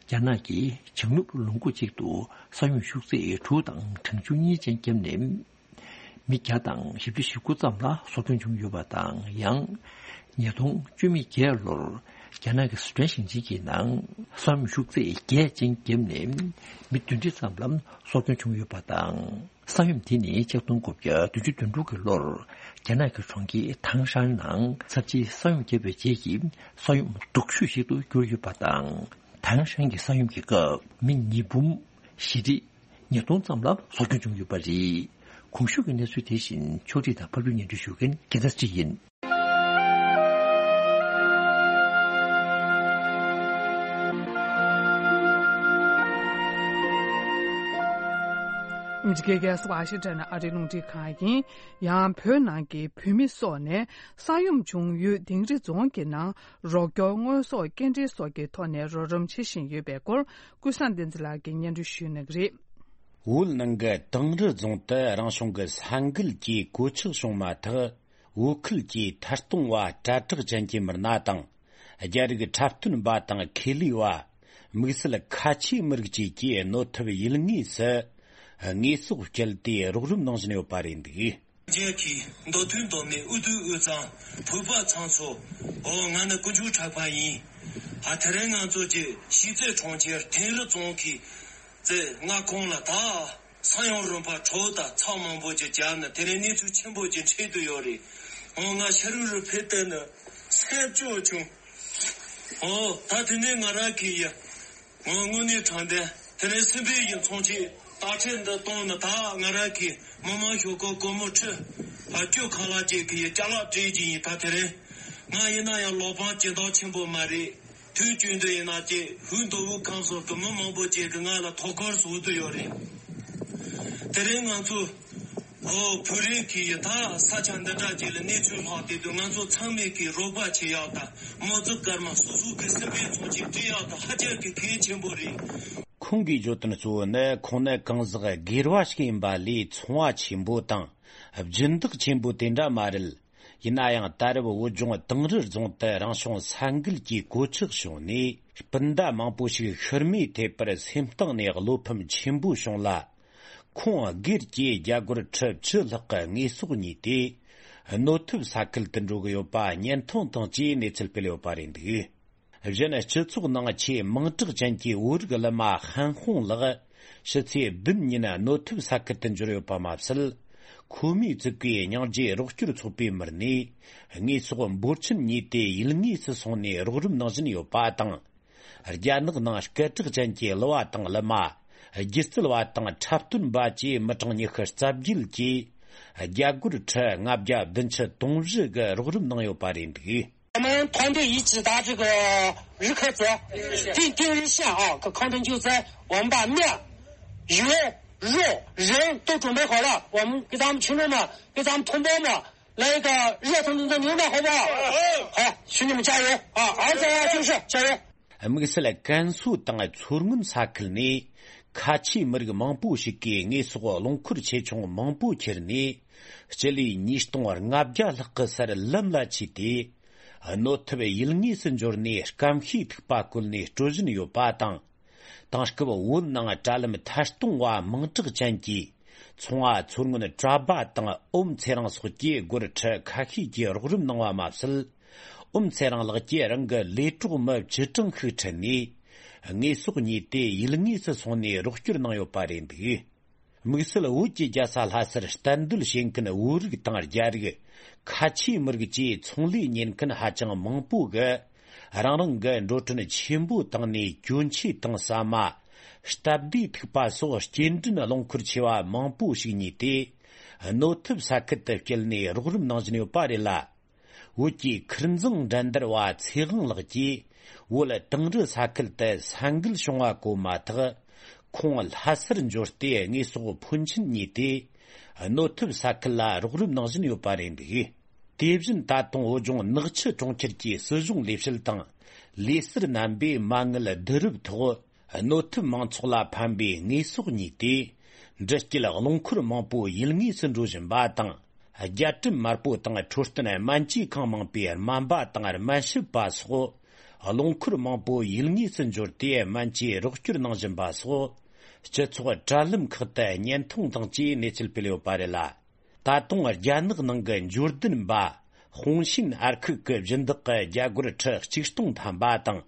རྒྱ་ནག་གིས་བྱང་ནུབ་ལུང་ཁུག་ཅིག་ཏུ་ས་ཡོམ་ཤུགས་ཚད་དྲུག་དང་གྲངས་ཆུང་གཉིས་ཅན་བརྒྱབ་ནས། མི་བརྒྱ་དང་བཞི་བཅུ་ཞེ་དགུ་ཙམ་ལ་སྲོག་སྐྱོན་བྱུང་ཡོད་པ་དང་། ཡང་ཉིས་སྟོང་བཅུ་མེད་བརྒྱད་ལོར་རྒྱ་ནག་གི་སི་ཁྲོན་ཞིང་ཆེན་གྱི་ནང་ས་ཡོམ་ཤུགས་ཚད་བརྒྱད་ཅན་བརྒྱབ་ནས་མི་བདུན་ཁྲི་ཙམ་ལ་སྲོག་སྐྱོན་བྱུང་ཡོད་པ་དང་། ས་ཡོམ་དེ་ནི་ཆིག་སྟོང་དགུ་བརྒྱ་བདུན་ཅུ་དོན་དྲུག་གི་ལོར་རྒྱ་ནག་གི་གྲོང་ཁྱེར་ཐང་ཧྲན་ནང་ཚབས་ཆེའི་ས་ཡོམ་བརྒྱབ་པའི་རྗེས་ཀྱི་ས་ཡོམ་སྡུག་ཤོས་ཤིག་ཏུ་གྱུར་ཡོད་པ་དང་། ཐང་ཧྲན་གྱི་ས་ཡོམ་གྱི་སྐབས་མི་ཉིས་འབུམ་བཞི་ཁྲི་ཉིས་སྟོང་ཙམ་ལ་སྲོག་སྐྱོན་བྱུང་ཡོད་པ་རེད། གོང་ཞུས་ཀྱི་གནས་ཚུལ་དེ་བཞིན་ཕྱོགས་སྒྲིག་དང་ཕབ་སྒྱུར་སྙན་སྒྲོན་ཞུ་མཁན་རྒྱལ་མཚན་ཚེ་རིང་ཡིན། ཨ་མི་རི་ཀའི་རྒྱལ་ས་ཝ་ཤིང་ཊོན་ཨ་རིའི་རླུང་འཕྲིན་ཁང་ཡིན། ཡང་བོད་ནང་གི་བོད་མི་སོགས་ནས་ས་ཡོམ་བྱུང་ཡུལ་དིང་རི་རྫོང་གི་ནང་རོགས་སྐྱོར་དངོས་ཟོག་སྐྱེལ་འདྲེན་སོགས་ཀྱི་ཐོག་ནས་རོགས་རམ་བྱེད་བཞིན་ཡོད་པའི་སྐོར། ཀུན་བཟང་བསྟན་འཛིན་ལགས་ཀྱིས་སྙན་སྒྲོན་ཞུ་གནང་གི་རེད། བོད་ནང་གི་དིང་རི་རྫོང་དུ་རང་བྱུང་གི་ས་འགུལ་གྱིས་གོད་ཆག་བྱུང་མ་ཐག་བོད་ཁུལ་གྱི་ཐད་གཏོང་བ་གྲ་སྒྲིག་ཅན་གྱི་མི་སྣ་དང་། རྒྱ་རིགས་འཁྲབ་སྟོན་པ་དང་ཁེ་ལས་པ། དམིགས་བསལ་ཁ་ཆེའི་མི་རིགས་བཅས་ཀྱིས་གནོད་ཐེབས་ཡུལ་དངོས་སུ་དངོས་ཟོག་བསྐྱལ་ཏེ་རོགས་རམ་གནང་བཞིན་ཡོད་པ་རེད་འདུག་རྒྱལ་གྱི་མདོ་དོན་མདོ་སྨད་འུ་དུ་དབུས་གཙང་བོད་པ་ཚང་ཚོ། འོ་ང་ནི་དཀོན་མཆོག་གྲགས་པ་ཡིན། ཨ་དེ་རིང་ང་ཚོ་གི་གཞིས་རྩེ་གྲོང་ཁྱེར་དིང་རི་རྫོང་གི་རྩེ་ལྔ་ཁོངས་ལ་ད་ས་ཡོམ་རིམ་པ་དྲོད་དང་ཚྭ་མང་པོ་ཅིག་བརྒྱབ་ནས་དེ་རིང་གནས་ཚུལ་ཆེན་པོ་ཅིག་འཕྲད་དུ་ཡོད་རེད། འོ་ང་ཤ་རུ་རུ་ཕེབས་ཏེ་ནི་སེམས་སྐྱོ་བྱུང་། འོ་ད་དེ་ནས་ང་རང་གི་ཡ། ངོ་དངོས་གནས་དྲང་བདེན་དེ་རིང་སེམས་པའི་ཡིན་ཚོང་ཆེད་རྟ་ཁྲལ་འདི་གཏོང་ནི་ད་ང་རང་གི་མི་མང་ཞོགས་ཀོ་སྒོར་མོ་ཁྲི་ཕ་སྐྱོ་ཁ་ལག་ཅིག་གི་ཡི་ཅ་ལག་སྤྲད་ཀྱི་ཡིན། ད་དེ་རིང་ང་ཡིན་ན་ཡང་ལོ་པང་སྐྱིན་ཐང་ཆེན་པོ་མ་རེད། དུས་རྒྱུན་དུ་ཡིན་ན་ཅིག་ཧུན་དོ་བུ་ཁམས་སོགས་ཀྱི་མི་མང་པོ་ཅིག་གི་ང་ལ་ཐོག་ཁར་བཟོ་དུ་ཡོད་རེད། དེ་རིང་ང་ཚོ། ཨོ་བོད་རིགས་ཀྱི་ཡི་ད་ས་ཆ་འདི་འདྲ་ཅིག་ལ་གནས་ཚུལ་ལྷག་དེ་དུས་ང་ཚོ་ཚང་མས་ཀྱི་རོགས་པ་བྱེད་ཡག་དང་མོ་ཙི་སྐར་མ་སོ་སོ་གི་སེམས་པའི་ཚོགས་ཀྱི་སྤྲད་ཡག་དང་ཧ་ཅང་གི་གལ་ཆེན་པོ་རེད། ཁོང་གིས་བརྗོད་དོན་གཙོ་བོ་ནི་ཁོང་ནི་གང་ཟག་སྒེར་བ་ཞིག་ཡིན་པ་ལས་ཚོང་བ་ཆེན་པོ་དང་སྦྱིན་བདག་ཆེན་པོ་དེ་འདྲ་མ་རེད། ཡིན་ན་ཡང་ད་རེབ་བོད་ལྗོངས་དིང་རི་རྫོང་དུ་རང་བྱུང་ས་འགུལ་གྱི་གོད་ཆག་བྱུང་ནས་སྤུན་ཟླ་མང་པོ་ཞིག་ཤི་རྨས་ཐེབས་པར་སེམས་གཏིང་ནས་བློ་ཕམ་ཆེན་པོ་བྱུང་ལ། ཁོང་སྒེར་གྱི་རྒྱ་སྒོར་ཁྲི་བཅུ་ལྷག་གི་དངོས་ཟོག་ཉོས་ཏེ། གནོད་ཐེབས་ས་ཁུལ་དུ་འགྲོ་གི་ཡོད་པ་བརྙན་ཐུང་དང་བཅས་གནས་ཚུལ་སྤེལ་ཡོད་པ་རེད་འདུག་གཞན་སྤྱི་ཚོགས་ནང་ཆེས་མིང་གྲགས་ཅན་གྱི་བོད་རིགས་གླུ་མ་ཧན་ཧོང་ལགས་ཕྱི་ཚེས་བདུན་ཉིན་གནོད་ཐེབས་ས་ཁུལ་དུ་འབྱོར་ཡོད་པ་མ་ཟད། ཁོ་མོས་བཙུགས་པའི་སྙིང་རྗེ་རོགས་སྐྱོར་ཚོགས་པའི་མི་སྣས་དངོས་ཟོག་འབོར་ཆེན་ཉོས་ཏེ་ཡུལ་དངོས་སུ་སོང་ནས་རོགས་རམ་གནང་བཞིན་ཡོད་པ་དང་། རྒྱ་ནག་ནང་སྐད་གྲགས་ཅན་གྱི་གླུ་བ་དང་གླུ་མ། སྒྱུ་རྩལ་བ་དང་འཁྲབ་སྟོན་པ་བཅས་མི་གྲངས་ཉི་ཤུ་རྩ་བརྒྱད་ཀྱིས་རྒྱ་སྒོར་ཁྲི་ལྔ་བརྒྱ་བདུན་ཅུ་དོན་བཞི་གི་རོགས་རམ་གནང་ཡོད་པ་རེད་འདུག 我们团队一直到这个日喀则，定定日线啊，可抗震救灾，我们把面、油、肉、人都准备好了，我们给咱们群众们，给咱们同胞们来一个热腾腾的牛奶，好不好？好，兄弟们加油啊！儿子啊，就是加油！དམིགས་བསལ་ཀན་སུའུ་དང་མཚོ་སྔོན་ས་ཁུལ་ནས་ཁ་ཆེའི་མི་རིགས་མང་པོ་ཞིག་གིས་དངོས་ཟོག་རླངས་འཁོར་ཆེ་ཆུང་མང་པོ་ཁྱེར་ནས་སྤྱི་ལེ་ཉིས་སྟོང་ལྔ་བརྒྱ་ལྷག་གི་སར་ལམ་ལ་ཆས་ཏེ། གནོད་ཐེབས་ཡུལ་དངོས་སུ་འབྱོར་ནས་སྐམ་ཤས་ཐིགས་པ་བསྐོལ་ནས་སྤྲོད་བཞིན་ཡོད་པ་དང་། དེང་སྐབས་བོད་ནང་དྲ་ལམ་ཐད་གཏོང་བ་མིང་གྲགས་ཅན་གྱི་ཚོང་བ་མཚོ་སྔོན་གྲྭ་པ་དང་ཨོམ་ཚེ་རིང་སོགས་ཀྱིས་སྒོར་ཁྲི་ཁ་ཤས་ཀྱི་རོགས་རམ་གནང་བ་མ་ཟད། ཨོམ་ཚེ་རིང་ལགས་ཀྱིས་རང་གི་ལས་གྲོགས་མི་བཅུ་གྲངས་ཤིག་ཁྲིད་ནས་དངོས་ཟོག་ཉོས་ཏེ་ཡུལ་དངོས་སུ་སོང་ནས་རོགས་སྐྱོར་གནང་ཡོད་པ་རེད་འདུག་དམིགས་བསལ་བོད་ཀྱི་རྒྱལ་ས་ལྷ་སར་གཏན་སྡོད་བྱེད་མཁན་བོད་རིགས་དང་རྒྱ་རིགས། ཁ་ཆེའི་མི་རིགས་བཅས་ཚོང་ལས་གཉེར་མཁན་ཧ་ཅང་མང་པོ་གིས་རང་རང་གི་འགྲོ་གྲོན་ཆེན་པོ་བཏང་ནས་གྱོན་ཆས་དང་ཟ་མ། སྟབས་བདེའི་ཐིགས་པ་སོགས་སྐྱེལ་འདྲེན་རླངས་འཁོར་ཆེ་བ་མང་པོ་ཞིག་ཉོས་ཏེ། གནོད་ཐེབས་ས་ཁུལ་དུ་བསྐྱལ་ནས་རོགས་རམ་གནང་བཞིན་ཡོད་པ་རེད་ལ། བོད་ཀྱི་ཁུར་འཛིང་འགྲན་བསྡུར་བ་ཚེ་དབང་ལགས་ཀྱིས་བོད་དིང་རི་ས་ཁུལ་དུ་ས་འགུལ་བྱུང་བ་གོ་མ་ཐག་ཁོང་ལྷ་སར་འབྱོར་ཏེ་དངོས་ཟོག་ཕོན་ཆེན་ཉོས་ཏེ། གནོད་ཐེབས་ས་ཁུལ་ལ་རོགས་རམ་གནང་བཞིན་ཡོད་པ་རེད་འདུག་དེ་བཞིན་ད་དུང་བོད་ལྗོངས་ནག་ཆུ་གྲོང་ཁྱེར་གྱི་སྲིད་གཞུང་ལས་བྱེད་དང་ལས་ཟུར་རྣམ་པས་མ་དངུལ་བསྡུ་རུབ་ཐོག་གནོད་ཐེབས་མང་ཚོགས་ལ་ཕན་པའི་དངོས་ཟོག་གཉིས་ཏེ། འདྲི་སྐྱེལ་རླངས་འཁོར་མང་པོ་ཡུལ་དངོས་སུ་འགྲོ་བཞིན་པ་དང་། རྒྱལ་གྲམ་དམར་པོ་དང་འཕྲོད་བསྟེན་སྨན་བཅོས་ཁང་མང་པོའི་སྨན་པ་དང་སྨན་ཞབས་པ་སོགས། རླངས་འཁོར་མང་པོ་ཡུལ་དངོས་སུ་འབྱོར་ཏེ་སྨན་བཅོས་རོགས་སྐྱོར་གནང་བཞིན་པ་སོགས། སྤྱི་ཚོགས་དྲ་ལམ་ཁག་ཏུ་བརྙན་ཐུང་དང་བཅས་གནས་ཚུལ་སྤེལ་ཡོད་པ་རེད་ལ། ད་དུང་རྒྱ་ནག་ནང་གི་འབྱོར་ལྡན་པ་ཧུང་ཤིན་ཨར་ཁུག་གི་སྦྱིན་བདག་གི་རྒྱ་སྒོར་ཁྲི་གཅིག་སྟོང་ཐམ་པ་དང་།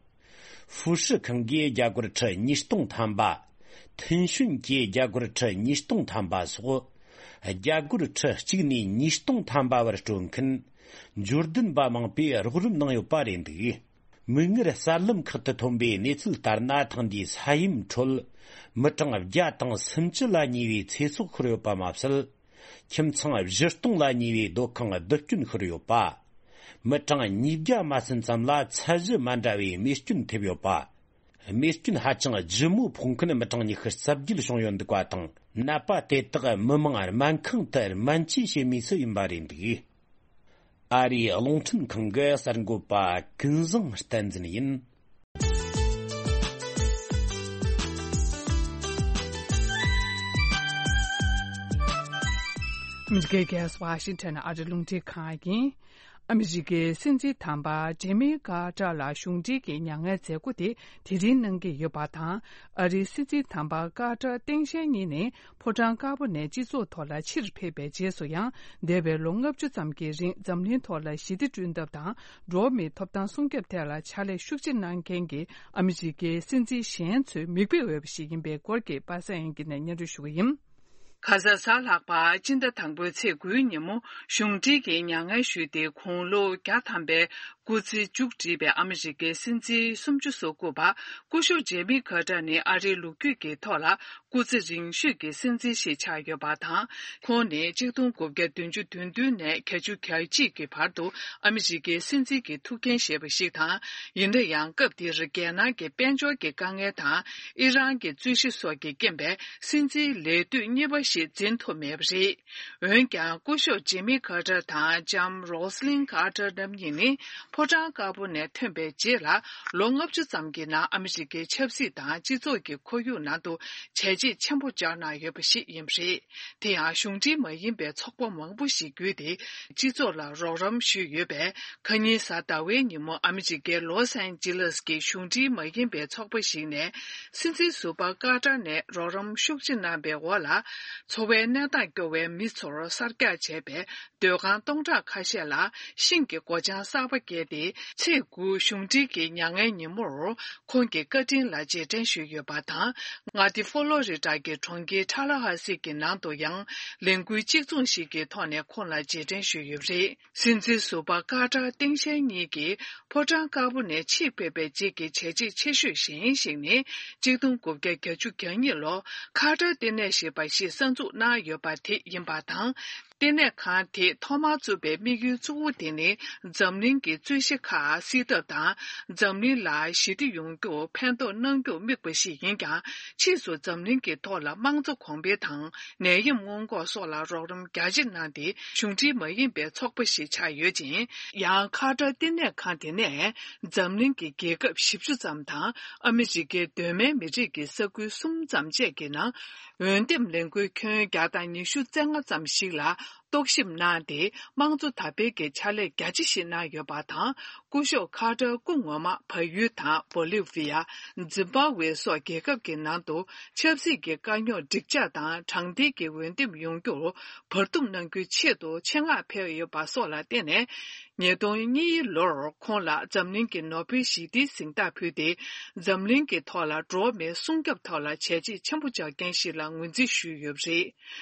ཧྥུ་ཧྲི་ཁང་གིས་རྒྱ་སྒོར་ཁྲི་ཉིས་སྟོང་ཐམ་པ། ཐིན་ཤུན་གྱིས་རྒྱ་སྒོར་ཁྲི་ཉིས་སྟོང་ཐམ་པ་སོགས། རྒྱ་སྒོར་ཁྲི་གཅིག་ནས་ཉིས་སྟོང་ཐམ་པ་བར་སྤྲོད་མཁན། འབྱོར་ལྡན་པ་མང་པོས་རོགས་རམ་གནང་ཡོད་པ་རེད་འདུག་མིག་སྔར་གསར་ལམ་ཁག་ཏུ་ཐོན་པའི་གནས་ཚུལ་ལྟར་ན། ཐེངས་འདིའི་ས་ཡོམ་ཁྲོད་མི་གྲངས་བརྒྱ་དང་སུམ་ཅུ་ལ་ཉེ་བའི་ཚེ་སྲོག་ཤོར་ཡོད་པ་མ་ཟད། ཁྱིམ་ཚང་བཞི་སྟོང་ལ་ཉེ་བའི་སྡོད་ཁང་རྡུལ་སྐྱོན་ཤོར་ཡོད་པ། མི་གྲངས་ཉིས་བརྒྱ་མ་ཟིན་ཙམ་ལ་ཚད་གཞི་མ་འདྲ་བའི་རྨས་སྐྱོན་ཐེབས་ཡོད་པ། རྨས་སྐྱོན་ཧ་ཅང་ལྗིད་མོ་ཕོག་མཁན་མི་གྲངས་ཉི་ཤུ་རྩ་བརྒྱད་བྱུང་ཡོད་འདུག་པ་དང་། ནད་པ་དེ་དག་མི་མང་སྨན་ཁང་དུ་སྨན་བཅོས་བྱེད་མུས་སུ་ཡིན་པ་རེད་འདུག་ཨ་རིའི་རླུང་འཕྲིན་ཁང་གི་གསར་འགོད་པ་ཀུན་བཟང་བསྟན་འཛིན་ཡིན། ཨ་མི་རི་ཀའི་རྒྱལ་ས་ཝ་ཤིང་ཊོན་ཨ་རི་རླུང་འཕྲིན་ཁང་ཡིན། ཨ་མི་རི་ཀའི་སྲིད་འཛིན་དམ་པ་ཇེ་མི་ཀར་ཏར་ལ་གཞུང་འབྲེལ་གྱི་མྱ་ངན་མཛད་སྒོ་དེ་དེ་རིང་གནང་གི་ཡོད་པ་དང་། ཨ་རིའི་སྲིད་འཛིན་དམ་པ་ཀར་ཏར་སྟངས་དཔྱལ་གཉིས་ནས་ཕོ་བྲང་དཀར་པོ་ནས་སྤྱི་ཚོགས་ཐོག་ལ་ཕྱིར་ཕེབས་པའི་རྗེས་སུ་ཡང་། འདས་པའི་ལོ་ལྔ་བཅུ་ཙམ་གྱི་རིང་འཛམ་གླིང་ཐོག་ལ་ཞི་བདེ་བསྐྲུན་ཐབས་དང་། འགྲོ་བ་མིའི་ཐོབ་ཐང་སྲུང་སྐྱོབ་ཐད་ལ་ཕྱག་ལས་ཤུགས་ཆེ་གནང་མཁན་གྱི་ཨ་མི་རི་ཀའི་སྲིད་འཛིན་གཞན་ཚོའི་མིག་དཔེ་འོས་པ་ཞིག་ཡིན་པའི་སྐོར་གྱི་པ་སངས་དབྱངས་སྐྱིད་ནས་སྙན་སྒྲོན་ཞུ་གི་ཡིན། གྷ་ཟ་གསར་ལྷག་པར་སྤྱི་ཟླ་དང་པོའི་ཚེས་དགུའི་ཉིན་མོ་གཞུང་འབྲེལ་གྱི་མྱ་ངན་ཞུས་ཏེ། དགུང་ལོ་བརྒྱ་ཐམ་པའི་སྐུ་ཚེ་མཇུག་བསྒྲིལ་བའི་ཨ་མི་རི་ཀའི་སྲིད་འཛིན་སུམ་ཅུ་སོ་དགུ་པ་སྐུ་ཞབས་ཇེ་མི་ཀར་ཏར་ནི་ཨ་རིའི་ལོ་རྒྱུས་ཀྱི་ཐོག་ལ་སྐུ་ཚེ་རིང་ཤོས་ཀྱི་སྲིད་འཛིན་ཞིག་ཆགས་ཡོད་པ་དང་། ཁོང་ནི་གཅིག་སྟོང་དགུ་བརྒྱ་བདུན་ཅུ་དོན་བདུན་ནས་བརྒྱད་ཅུ་གྱ་གཅིག་གི་བར་དུ་ཨ་མི་རི་ཀའི་སྲིད་འཛིན་གྱི་ཐུགས་འགན་བཞེས་པ་ཞིག་དང་། ཡིན་ན་ཡང་སྐབས་དེར་རྒྱལ་ནང་གི་དཔལ་འབྱོར་གྱི་དཀའ་ངལ་དང་། ཨི་རན་གྱི་རྩོད་གཞི་སོགས་ཀྱི་རྐྱེན་པས། སྲིད་འཛིན་ལས་དུས་གཉིས་པ་ཞིག་འཛིན་ཐུབ་མེད་པ་རེད། འོན་ཀྱང་། སྐུ་ཞབས་ཇེ་མི་ཀར་ཏར་དང་ལྕམ་རོ་སི་ལིན་ཀར་ཏར་རྣམ་གཉིས་ནི་ཕོ་བྲང་དཀར་པོ་ནས་ཐོན་པའི་རྗེས་ལ་ལོ་ལྔ་བཅུ་ཙམ་གྱི་ནང་ཨ་མི་རི་ཀའི་ཆབ་སྲིད་དང་སྤྱི་ཚོགས་ཀྱི་ཁོར་ཡུག་ནང་དུ་བྱས་རྗེས་ཆེན་པོ་བཅག་གནང་ཡོད་པ་ཞིག་ཡིན་པ་རེད། དེ་ཡང་གཞུང་འབྲེལ་མ་ཡིན་པའི་ཚོགས་པ་མང་པོ་ཞིག་བརྒྱུད་དེ་སྤྱི་ཚོགས་ལ་རོགས་རམ་ཞུས་ཡོད་པས། ཁ་ཉིན་གཟའ་ཟླ་བའི་ཉིན་མོ་ཨ་མི་རི་ཀའི་ལོས་ཨན་ཇི་ལེས་ཀྱི་གཞུང་འབྲེལ་མ་ཡིན་པའི་ཚོགས་པ་ཞིག་ནས། སྲིད་འཛིན་ཟུར་པ་ཀར་ཏར་ནས་རོགས་རམ་ཤུགས་ཆེ་གནང་པའི་འོག་ལ། འཚོ་བའི་གནས་སྟངས་སྐྱོ་བའི་མི་ཚོར་གསར་རྒྱག་བྱས་པའི་སྡོད་ཁང་སྟོང་ཕྲག་ཁ་ཤས་ལ་ཤིང་གི་སྒོ་བྱང་གསར་པ་བརྒལ་ཏེ། ཚེས་དགུ་གཞུང་འབྲེལ་གྱི་མྱ་ངན་ཉིན་མོར་ཁོང་གི་བཀའ་དྲིན་ལ་རྗེས་དྲན་ཞུས་ཡོད་པ་དང་། མངའ་སྡེ་ཧྥོ་ལོ་རི་ཌ་གི་གྲོང་ཁྱེར་ཊ་ལ་ཧ་སི་གི་ནང་དུ་ཡང་ལས་འགུལ་གཅིག་མཚུངས་ཤིག་གི་ཐོག་ནས་ཁོང་ལ་རྗེས་དྲན་ཞུས་ཡོད་པ་རེད། སྲིད་འཛིན་ཟུར་པ་ཀར་ཏར་སྟངས་དཔྱལ་གཉིས་ཀྱིས་ཕོ་བྲང་དཀར་པོ་ནས་ཕྱིར་ཕེབས་པའི་རྗེས་ཀྱི་བྱས་རྗེས་ཆེ་ཤོས་གཞན་ཞིག་ནི། གཅིག་སྟོང་དགུ་བརྒྱ་གྱ་གཉིས་ལོར་ཁར་ཏར་ལྟེ་གནས་ཞེས་པ་ཞིག་གསར་འཛུགས་གནང་ཡོད་པ་དེ་ཡིན་པ་དང་། ལྟེ་གནས་ཁང་དེ་ཐོག་མར་བཙུགས་པའི་དམིགས་ཡུལ་གཙོ་བོ་དེ་ནི། འཛམ་གླིང་གི་རྩོད་གཞི་ཁག་སེལ་ཐབས་དང་། འཛམ་གླིང་ལ་ཞི་བདེ་ཡོང་རྒྱུར་ཕན་ཐོགས་གནང་རྒྱུར་དམིགས་པ་ཞིག་ཡིན་ཀྱང་། ཕྱིས་སུ་འཛམ་གླིང་གི་ཐོག་ལ་དམངས་གཙོ་གོང་འཕེལ་དང་། ནད་ཡམས་སྔོན་འགོག་སོགས་ལ་རོགས་རམ་རྒྱ་ཆེ་གནང་སྟེ། གཞུང་འབྲེལ་མ་ཡིན་པའི་ཚོགས་པ་ཞིག་ཆགས་ཡོད་ཅིང་། ཡང་ཁ་ཏར་བསྟི་གནས་ཁང་དེ་ནས་འཛམ་གླིང་གི་རྒྱལ་ཁབ་བཞི་བཅུ་ཙམ་དང་། ཨ་མི་རི་ཀའི་གདོད་མའི་མི་རིགས་ཀྱི་ས་ཁུལ་གསུམ་ཙམ་བཅས་ཀྱི་ནང་། འོས་འདེམས་ལས་འགུལ་ཁྱོན་བརྒྱ་དང་ཉི་ཤུ་རྩ་ལྔ་ཙམ་ཞིག་ལ་རྟོག་ཞིབ་གནང་སྟེ། དམངས་གཙོ་དར་སྤེལ་གྱི་ཕྱག་ལས་རྒྱ་ཆེ་ཞིག་གནང་ཡོད་པ་དང་། སྐུ་ཞབས་ཁ་ཏར་སྐུ་ངོ་མ་བལ་ཡུལ་དང་། བོ་ལི་ཝི་ཡ། ཛིམ་བྷ་ཝེ་སོགས་རྒྱལ་ཁབ་ཀྱི་ནང་དུ་ཆབ་སྲིད་ཀྱི་དཀའ་རྙོག་འགྲིག་འཇགས་དང་། དྲང་བདེན་གྱི་འོས་འདེམས་ཡོང་རྒྱུར་བར་འདུམ་གནང་རྒྱུའི་ཆེད་དུ་ཆེད་མངགས་ཕེབས་ཡོད་པ་སོགས་ལ་བརྟེན་ནས། ཉིས་སྟོང་གཉིས་ལོར་ཁོང་ལ་འཛམ་གླིང་གི་ནོ་བེལ་ཞི་བདེའི་གཟེངས་རྟགས་ཕུལ་ཏེ། འཛམ་གླིང་གི་ཐོག་ལ་འགྲོ་བ་མིའི་སྲུང་སྐྱོབ་ཐོག་ལ་བྱས་རྗེས་ཆེན་པོ་བཅག་མཁན་ཞིག་ལ་ངོས་འཛིན་ཞུས་ཡོད་པ་རེད།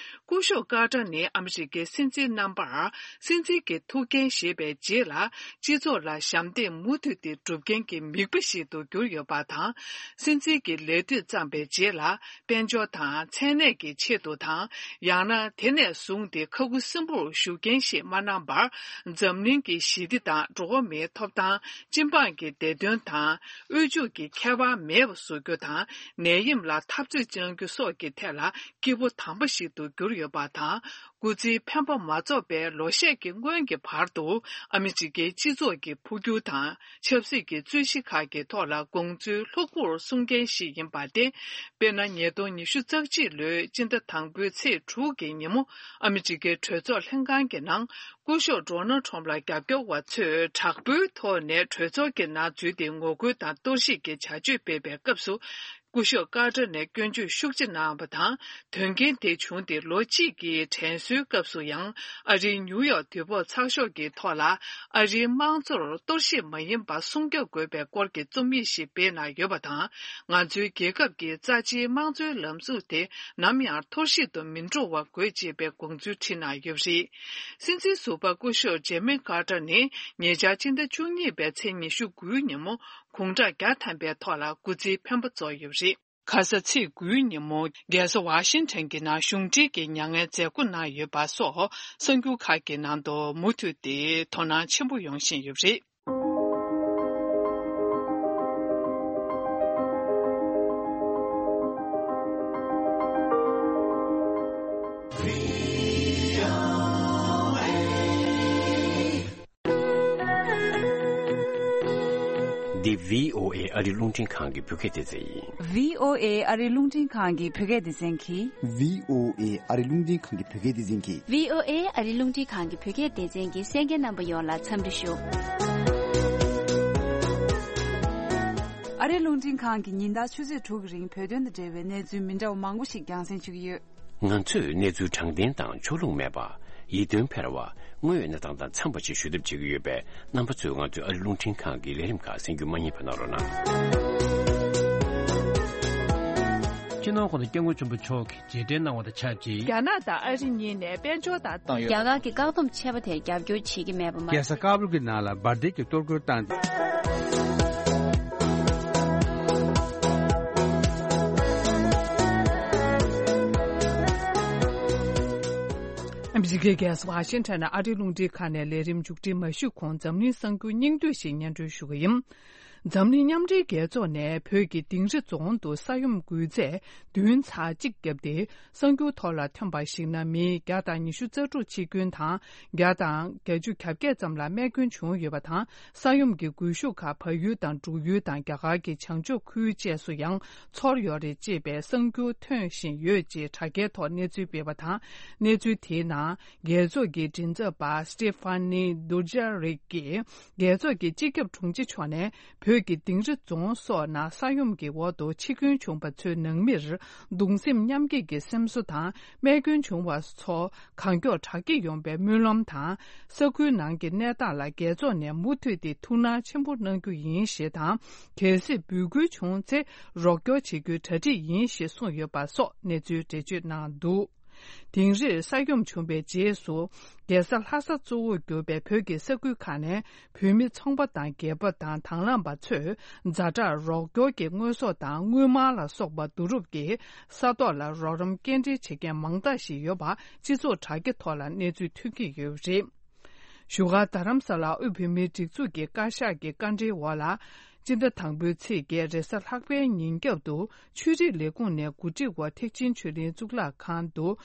སྐུ་ཞབས་ཀར་ཏར་ནི་ཨ་མི་རི་ཀའི་སྲིད་འཛིན་རྣམ་པར་སྲིད་འཛིན་གྱི་ཐུགས་འགན་བཞེས་པའི་རྗེས་ལ། སྤྱི་ཚོགས་ལ་ཞབས་འདེགས་མུ་མཐུད་དེ་སྒྲུབ་མཁན་གྱི་མིག་དཔེ་ཞིག་ཏུ་གྱུར་ཡོད་པ་དང་། སྲིད་འཛིན་གྱི་ལས་དུས་བརྩམས་པའི་རྗེས་ལ། དཔལ་འབྱོར་དང་། མཚན་གནས་ཀྱི་ཆེད་དུ་དང་། ཡང་ན་དེ་ནས་བཟུང་སྟེ་ཁ་ཁུ་སིམ་པོར་བཞུགས་མཁན་ཞིག་མ་གནང་བར། འཛམ་གླིང་གི་ ཞི་བདེ་དང་འགྲོ་བ་མིའི་ཐོབ་ཐང་། སྤྱི་འབངས་ཀྱི་བདེ་དོན་དང་། དབུལ་ཕྱུག་གི་ཁྱད་པར་མེད་པ་བཟོ་རྒྱུ་དང་། ནད་ཡམས་ལ་འཐབ་རྩོད་གནང་རྒྱུ་སོགས་ཀྱི་ཐད་ལ་སྐྱིད་པོ་དམ་པ་ཞིག་ཏུ་གྱུར་ཡོད་པ་དང་། སྐུ་ཚེའི་འཕེན་པ་མ་རྫོགས་པའི་ལོ་ཤས་ཀྱི་སྔོན་གྱི་བར་དུ། ཨ་མི་རི་ཀའི་སྤྱི་ཚོགས་ཀྱི་འཕོ་འགྱུར་དང་། ཆབ་སྲིད་ཀྱི་རྩོད་གཞི་ཁག་གི་ཐོག་ལ་དགོངས་ཚུལ་ལྷུག་པོར་གསུང་མཁན་ཞིག་ཡིན་པ་སྟེ། དཔེར་ན། ཉིས་སྟོང་ཉི་ཤུ་རྩ་གཅིག་ལོའི་སྤྱི་ཟླ་དང་པོའི་ཚེས་དྲུག་གི་ཉིན་མོ། ཨ་མི་རི་ཀའི་གྲོས་ཚོགས་ལྷན་ཁང་གི་ནང་། སྐུ་ཞབས་ཌོ་ནལ་ཁྲོམ་ལ་རྒྱབ་སྐྱོར་བ་ཚོས་དྲག་པོའི་ཐོག་ནས་གྲོས་ཚོགས་ཀྱི་ནང་འཛུལ་ཏེ་ངོ་རྒོལ་དང་གཏོར་བཤིག་གི་བྱ་སྤྱོད་སྤེལ་བའི་སྐབས་སུ། སྐུ་ཞབས་ཀར་ཏར་ནས་སྐྱོན་བརྗོད་ཤུགས་ཆེ་གནང་བ་དང་། དོན་རྐྱེན་དེ་བྱུང་སྟེ་ལོ་གཅིག་གི་དྲན་གསོའི་སྐབས་སུ་ཡང་། ཨ་རིའི་ནིའུ་ཡོག་དུས་བབ་ཚགས་ཤོག་གི་ཐོག་ལ། ཨ་རིའི་དམངས་གཙོར་གཏོར་བཤིག་མ་ཡིན་པ་སྲུང་སྐྱོབ་དགོས་པའི་སྐོར་གྱི་རྩོམ་ཡིག་ཞིག་སྤེལ་གནང་ཡོད་པ་དང་། ང་ཚོའི་རྒྱལ་ཁབ་ཀྱི་རྩ་ཆེའི་དམངས་གཙོའི་ལམ་ལུགས་དེ་ནམ་ཡང་འཐོར་བཤིག་ཏུ་མི་འགྲོ་བ་དགོས་ཅེས་པའི་དགོངས་ཚུལ་བྲིས་གནང་ཡོད་པ་རེད། སྲིད་འཛིན་ཟུར་པ་སྐུ་ཞབས་ཇེ་མི་ཀར་ཏར་ནི་ཉེ་ཆར་སྤྱི་ཟླ་བཅུ་གཉིས་པའི་ཚེས་ཉི་ཤུ་དགུའི་ཉིན་མོ་དགུང་གྲངས་བརྒྱ་ཐམ་པའི་ཐོག་ལ་སྐུ་ཚེའི་འཕེན་པ་རྫོགས་ཡོད་པ་རེད། ཁ་ས་ཚེས་དགུའི་ཉིན་མོ་རྒྱལ་ས་ཝ་ཤིང་ཊོན་གྱི་ནང་གཞུང་འབྲེལ་གྱི་མྱ་ངན་མཛད་སྒོ་གནང་ཡོད་པ་སོགས་གསར་འགྱུར་ཁག་གི་ནང་དུ་མུ་མཐུད་དེ་དོ་སྣང་ཆེན་པོ་ཡོང་བཞིན་ཡོད་པ་རེད། འདི་བྷི་ཨོ་ཨེ་ཨ་རི་རླུང་འཕྲིན་ཁང་གི་བོད་སྐད་སྡེ་ཚན་ཡིན། བྷི་ཨོ་ཨེ་ཨ་རི་རླུང་འཕྲིན་ཁང་གི་བོད་སྐད་སྡེ་ཚན་གྱིས། བྷི་ཨོ་ཨེ་ཨ་རི་རླུང་འཕྲིན་ཁང་གི་བོད་སྐད་སྡེ་ཚན་གྱིས། བྷི་ཨོ་ཨེ་ཨ་རི་རླུང་འཕྲིན་ཁང་གི་བོད་སྐད་སྡེ་ཚན་གྱི་གསན་མཁན་རྣམ་པ་ཡོངས་ལ་འཚམས་འདྲི་ཞུ། ཨ་རི་རླུང་འཕྲིན་ཁང་གིས་ཉིན་ལྟར་ཆུ་ཚོད་དྲུག་གི་རིང་བོད་དོན་དང་འབྲེལ་བའི་གནས་ཚུལ་མི་འདྲ་བ་མང་པོ་ཞིག་རྒྱང་སྲིང་ཞུ་གི་ཡོད། ང་ཚོས་གནས་ཚུལ་དྲང་བདེན་དང་ཕྱོགས་ལྷུང་མེད་པ། ཡིད་རྟོན་འཕེར་བ། དངོས་ཡོད་གནས་སྟངས་དང་འཚམས་པ་ཞིག་ཞུ་ཐབས་བྱེད་ཀྱི་ཡོད་པས། རྣམ་པ་ཚོས་ང་ཚོའི་ཨ་རི་རླུང་འཕྲིན་ཁང་གི་ལས་རིམ་ཁག་གསན་རྒྱུ་མ་བསྙེལ་བ་གནང་རོགས་གནང་། སྤྱི་ནོར་༸གོང་ས་༸སྐྱབས་མགོན་ཆེན་པོ་མཆོག་གིས་རྗེས་དྲན་གནང་བ་དང་ཆབས་ཅིག་རྒྱ་ནག་དང་ཨ་རི་གཉིས་ནས་དཔལ་འབྱོར་དང་བཏང་ཡོད། རྒྱ་གར་གྱི་བཀག་སྡོམ་ཆད་པ་དེར་རྒྱབ་སྐྱོར་བྱེད་ཀྱི་མེད་པ་མ། རྒྱལ་ས་ཀ་བུལ་གྱི་ནང་ལ་འབར་མདེལ་གྱི་གཏོར་རྒོལ་བཏང་སྟེ། ཨ་མི་རི་ཀའི་རྒྱལ་ས་ཝ་ཤིང་ཊོན་ནས་ཨ་རིའི་རླུང་འཕྲིན་ཁང་ནས་ལས་རིམ་མཇུག་སྒྲིལ་མ་ཞུས་གོང་འཛམ་གླིང་གསར་འགྱུར་སྙིང་བསྡུས་ཤིག་སྙན་སྒྲོན་ཞུ་གི་ཡིན། འཛམ་གླིང་མཉམ་འབྲེལ་རྒྱལ་ཚོགས་ནས་བོད་ཀྱི་དིང་རི་རྫོང་དུ་ས་ཡོམ་འགོས་ཚད་བདུན་ཚེག་གཅིག་བརྒྱབ་སྟེ། གསར་འགྱུར་ཐོག་ལ་ཐོན་པར་གཞིགས་ན། མི་བརྒྱ་དང་ཉི་ཤུ་རྩ་དྲུག་འཆི་སྐྱོན་དང་། བརྒྱ་དང་བརྒྱད་ཅུ་གྱ་བརྒྱད་ཙམ་ལ་རྨས་སྐྱོན་བྱུང་ཡོད་པ་དང་། ས་ཡོམ་གྱི་འགུལ་ཤུགས་ཁག་བལ་ཡུལ་དང་འབྲུག་ཡུལ་དང་རྒྱ་གར་གྱི་བྱང་ཕྱོགས་ཁུལ་བཅས་སུ་ཡང་ཚོར་ཡོད་རེད་ཅེས་པའི་གསར་འགྱུར་ཐོན་བཞིན་ཡོད་ཅེས་དྲ་རྒྱའི་ཐོག་གནས་ཚུལ་སྤེལ་བ་དང་། གནས་ཚུལ་དེའི་ནང་། རྒྱལ་ཚོགས་ཀྱི་མགྲིན་ཚབ་པ་སི་ཏེ་ཕ་ནི་དུ་ཇ་རིག་གིས། རྒྱལ་ཚོགས་ཀྱི་སྤྱི་ཁྱབ་དྲུང་ཆེ་མཆོག་ནས། བོད་ཀྱི་དིང་རི་རྫོང་སོགས་ནང་ས་ཡོམ་གྱི་འོག་ཏུ་འཆི་སྐྱོན་བྱུང་བ་ཚོའི་ནང་མིར། གདུང་སེམས་མཉམ་སྐྱེད་ཀྱི་སེམས་གསོ་དང་། རྨས་སྐྱོན་བྱུང་བ་ཚོ་གང་མགྱོགས་དྲག་སྐྱེད་ཡོང་བའི་སྨོན་ལམ་དང་། ས་ཁུལ་ནང་གི་གནས་སྟངས་ལ་རྒྱལ་ཚོགས་ནས་མུ་མཐུད་དེ་ཐུགས་སྣང་ཆེན་པོ་གནང་རྒྱུ་ཡིན་ཞེས་དང་། གལ་སྲིད་འབོད་སྐུལ་བྱུང་ཚེ། རོགས་སྐྱོར་བྱེད་རྒྱུའི་གྲ་སྒྲིག་ཡིན་ཞེས་གསུངས་ཡོད་པ་སོགས་གནས་ཚུལ་འགྲེལ་བརྗོད་གནང་འདུག་དིང་རིར་ས་ཡོམ་བྱུང་བའི་རྗེས་སུ། རྒྱལ་ས་ལྷ་ས་གཙོ་བོར་གྱུར་པའི་བོད་ཀྱི་ས་ཁུལ་ཁག་ནས་བོད་མི་ཚོང་པ་དང་སྒེར་པ་དང་དང་བླངས་པ་ཚོས་ཛ་དྲག་རོགས་སྐྱོར་གྱི་དངོས་ཟོག་དང་དངུལ་སྨར་ལ་སོགས་པ་བསྡུ་རུབ་ཀྱིས་ས་ཐོག་ལ་རོགས་རམ་སྐྱེལ་འདྲེན་བྱེད་མཁན་མང་དག་ཞིག་ཡོད་པ་སྤྱི་ཚོགས་དྲ་རྒྱ་ཐོག་ལ་གནས་ཚུལ་ཐོན་གྱི་ཡོད་པ་རེད། བཞུགས་སྒར་རྡ་རམ་ས་ལར་དབུས་བོད་མིའི་སྒྲིག་འཛུགས་ཀྱི་བཀའ་ཤག་གི་བཀའ་འབྲེལ་འོག་ལ། སྤྱི་ཟླ་དང་པོའི་ཚེས་བརྒྱད་རེས་གཟའ་ལྷག་པའི་ཉིན་རྒྱབ་ཏུ་ཆོས་རིག་ལས་ཁུངས་ནས་གོ་སྒྲིག་འོག་ཐེག་ཆེན་ཆོས་གླིང་གཙུག་ལག་ཁང་དུ།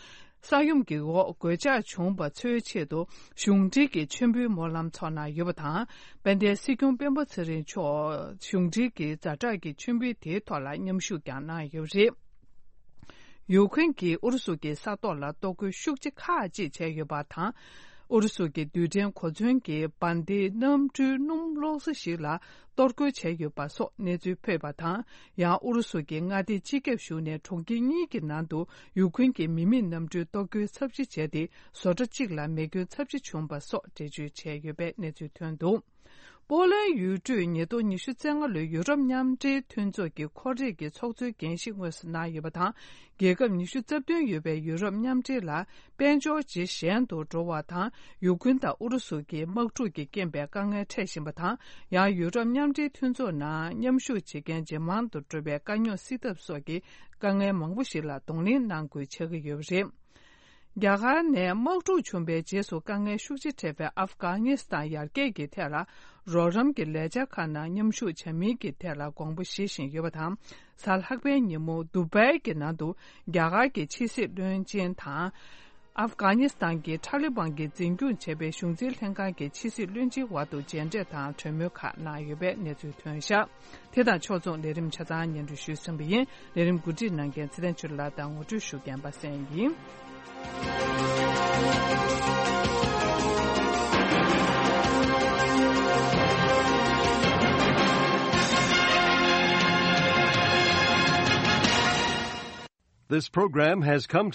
ས་ཡོམ་གྱི་འོག་གོད་ཆག་བྱུང་བ་ཚོའི་ཆེད་དུ་གཞུང་འབྲེལ་གྱི་མཆོད་འབུལ་སྨོན་ལམ་ཚོགས་གནང་ཡོད་པ་དང་། དཔལ་ལྡན་སྲིད་སྐྱོང་སྤེན་པ་ཚེ་རིང་མཆོག་གཞུང་འབྲེལ་གྱི་ཛ་དྲག་གི་མཆོད་འབུལ་དེའི་ཐོག་ལ་མཉམ་ཞུགས་ཀྱང་གནང་ཡོད་པ་རེད། ཡུ་ཁུན་གྱིས་ཨུ་རུ་སུ་གྱི་ས་ཐོག་ལ་གཏོར་རྒོལ་ཤུགས་ཆེ་ཁག་ཅིག་བྱས་ཡོད་པ་དང་། ཨུ་རུ་སུ་གྱི་རྡུལ་ཕྲན་གོ་མཚོན་གྱི་འབར་མདེལ་གནམ་གྲུའི་སྣུམ་གློག་ས་ཞིག་ལ་གཏོར་རྒོལ་བྱས་ཡོད་པ་སོགས་གནས་ཚུལ་ཕུད་པ་དང་། ཡང་ཨུ་རུ་སུ་གྱི་མངའ་སྡེའི་སྤྱི་ཁྱབ་གཞུང་ནས་གྲོང་ཁྱེར་གཉིས་ཀྱི་ནང་དུ་ཡུ་ཁུན་གྱི་མི་མེད་གནམ་གྲུའི་གཏོར་རྒོལ་ཚབས་ཆེ་བྱས་ཏེ། བཟོ་གྲྭ་གཅིག་ལ་མེ་སྐྱོན་ཚབས་ཆེ་བྱུང་བ་སོགས་འགྲེལ་བརྗོད་བྱས་ཡོད་པའི་གནས་ཚུལ་ཐོན་འདུག་པོ་ལན་ཡུལ་གྲུས་ཉིས་སྟོང་ཉི་ཤུ་རྩ་ལྔ་ལོའི་ཡུ་རོབ་མཉམ་འབྲེལ་མཐུན་ཚོགས་ཀྱི་ཁོར་ཡུག་གི་ཚོགས་གཙོའི་འགན་བཞེས་དངོས་སུ་གནང་ཡོད་པ་དང་། རྒྱལ་ཁབ་ཉི་ཤུ་རྩ་བདུན་ཡོད་པའི་ཡུ་རོབ་མཉམ་འབྲེལ་ལ་དཔལ་འབྱོར་ཇེ་ཞན་དུ་འགྲོ་བ་དང་། ཡུ་ཁུན་དང་ཨུ་རུ་སུ་གྱི་དམག་འཁྲུག་གི་རྐྱེན་པས་དཀའ་ངལ་འཕྲད་བཞིན་པ་དང་། ཡང་ཡུ་རོབ་མཉམ་འབྲེལ་མཐུན་ཚོགས་ནང་མཉམ་ཞུགས་བྱེད་མཁན་ཇེ་མང་དུ་འགྲོ་བའི་དཀའ་རྙོག་སེལ་ཐབས་སོགས་ཀྱི་དཀའ་ངལ་མང་པོ་ཞིག་ལ་གདོང་ལེན་གནང་དགོས་ཆགས་ཀྱི་ཡོད་པ་རེད། རྒྱ་གར་ནས་དམག་འཁྲུག་བྱུང་བའི་རྗེས་སུ་དཀའ་ངལ་ཤུགས་ཆེ་འཕྲད་པའི་ཨབ་གྷ་ནི་སི་ཐན་ཡར་རྒྱས་ཀྱི་ཐད་ལ། རོགས་རམ་གྱི་ལས་འཆར་ཁག་ནང་མཉམ་ཞུགས་བྱ་མིན་གྱི་ཐད་ལ་དགོངས་པ་བཞེས་བཞིན་ཡོད་པ་དང་། གཟའ་ལྷག་པའི་ཉིན་མོ་དུ་བྷའི་གི་ནང་དུ་རྒྱ་གར་གྱི་ཕྱི་སྲིད་བློན་ཆེན་དང་། ཨབ་གྷ་ནི་སི་ཐན་གྱི་ཐ་ལི་བན་གྱིས་འཛིན་སྐྱོང་བྱས་པའི་གཞུང་འཛིན་ལྷན་ཁང་གི་ཕྱི་སྲིད་བློན་ཆེན་དབར་དུ་མཇལ་འཕྲད་དང་གྲོས་མོལ་ཁག་གནང་ཡོད་པའི་གནས་ཚུལ་ཐོན་བཞག་དེ་དང་ཕྱོགས་མཚུངས་ལས་རིམ་ཆ་ཚང་སྙན་སྒྲོན་ཞུས་ཟིན་པ་ཡིན། ལས་རིམ་གོ་སྒྲིག་གནང་མཁན་ཚེ་བརྟན་ཆོས་ལགས་དང་ངོ་སྤྲོད་ཞུ་མཁན་པ་སངས་ཡིན། This program has come to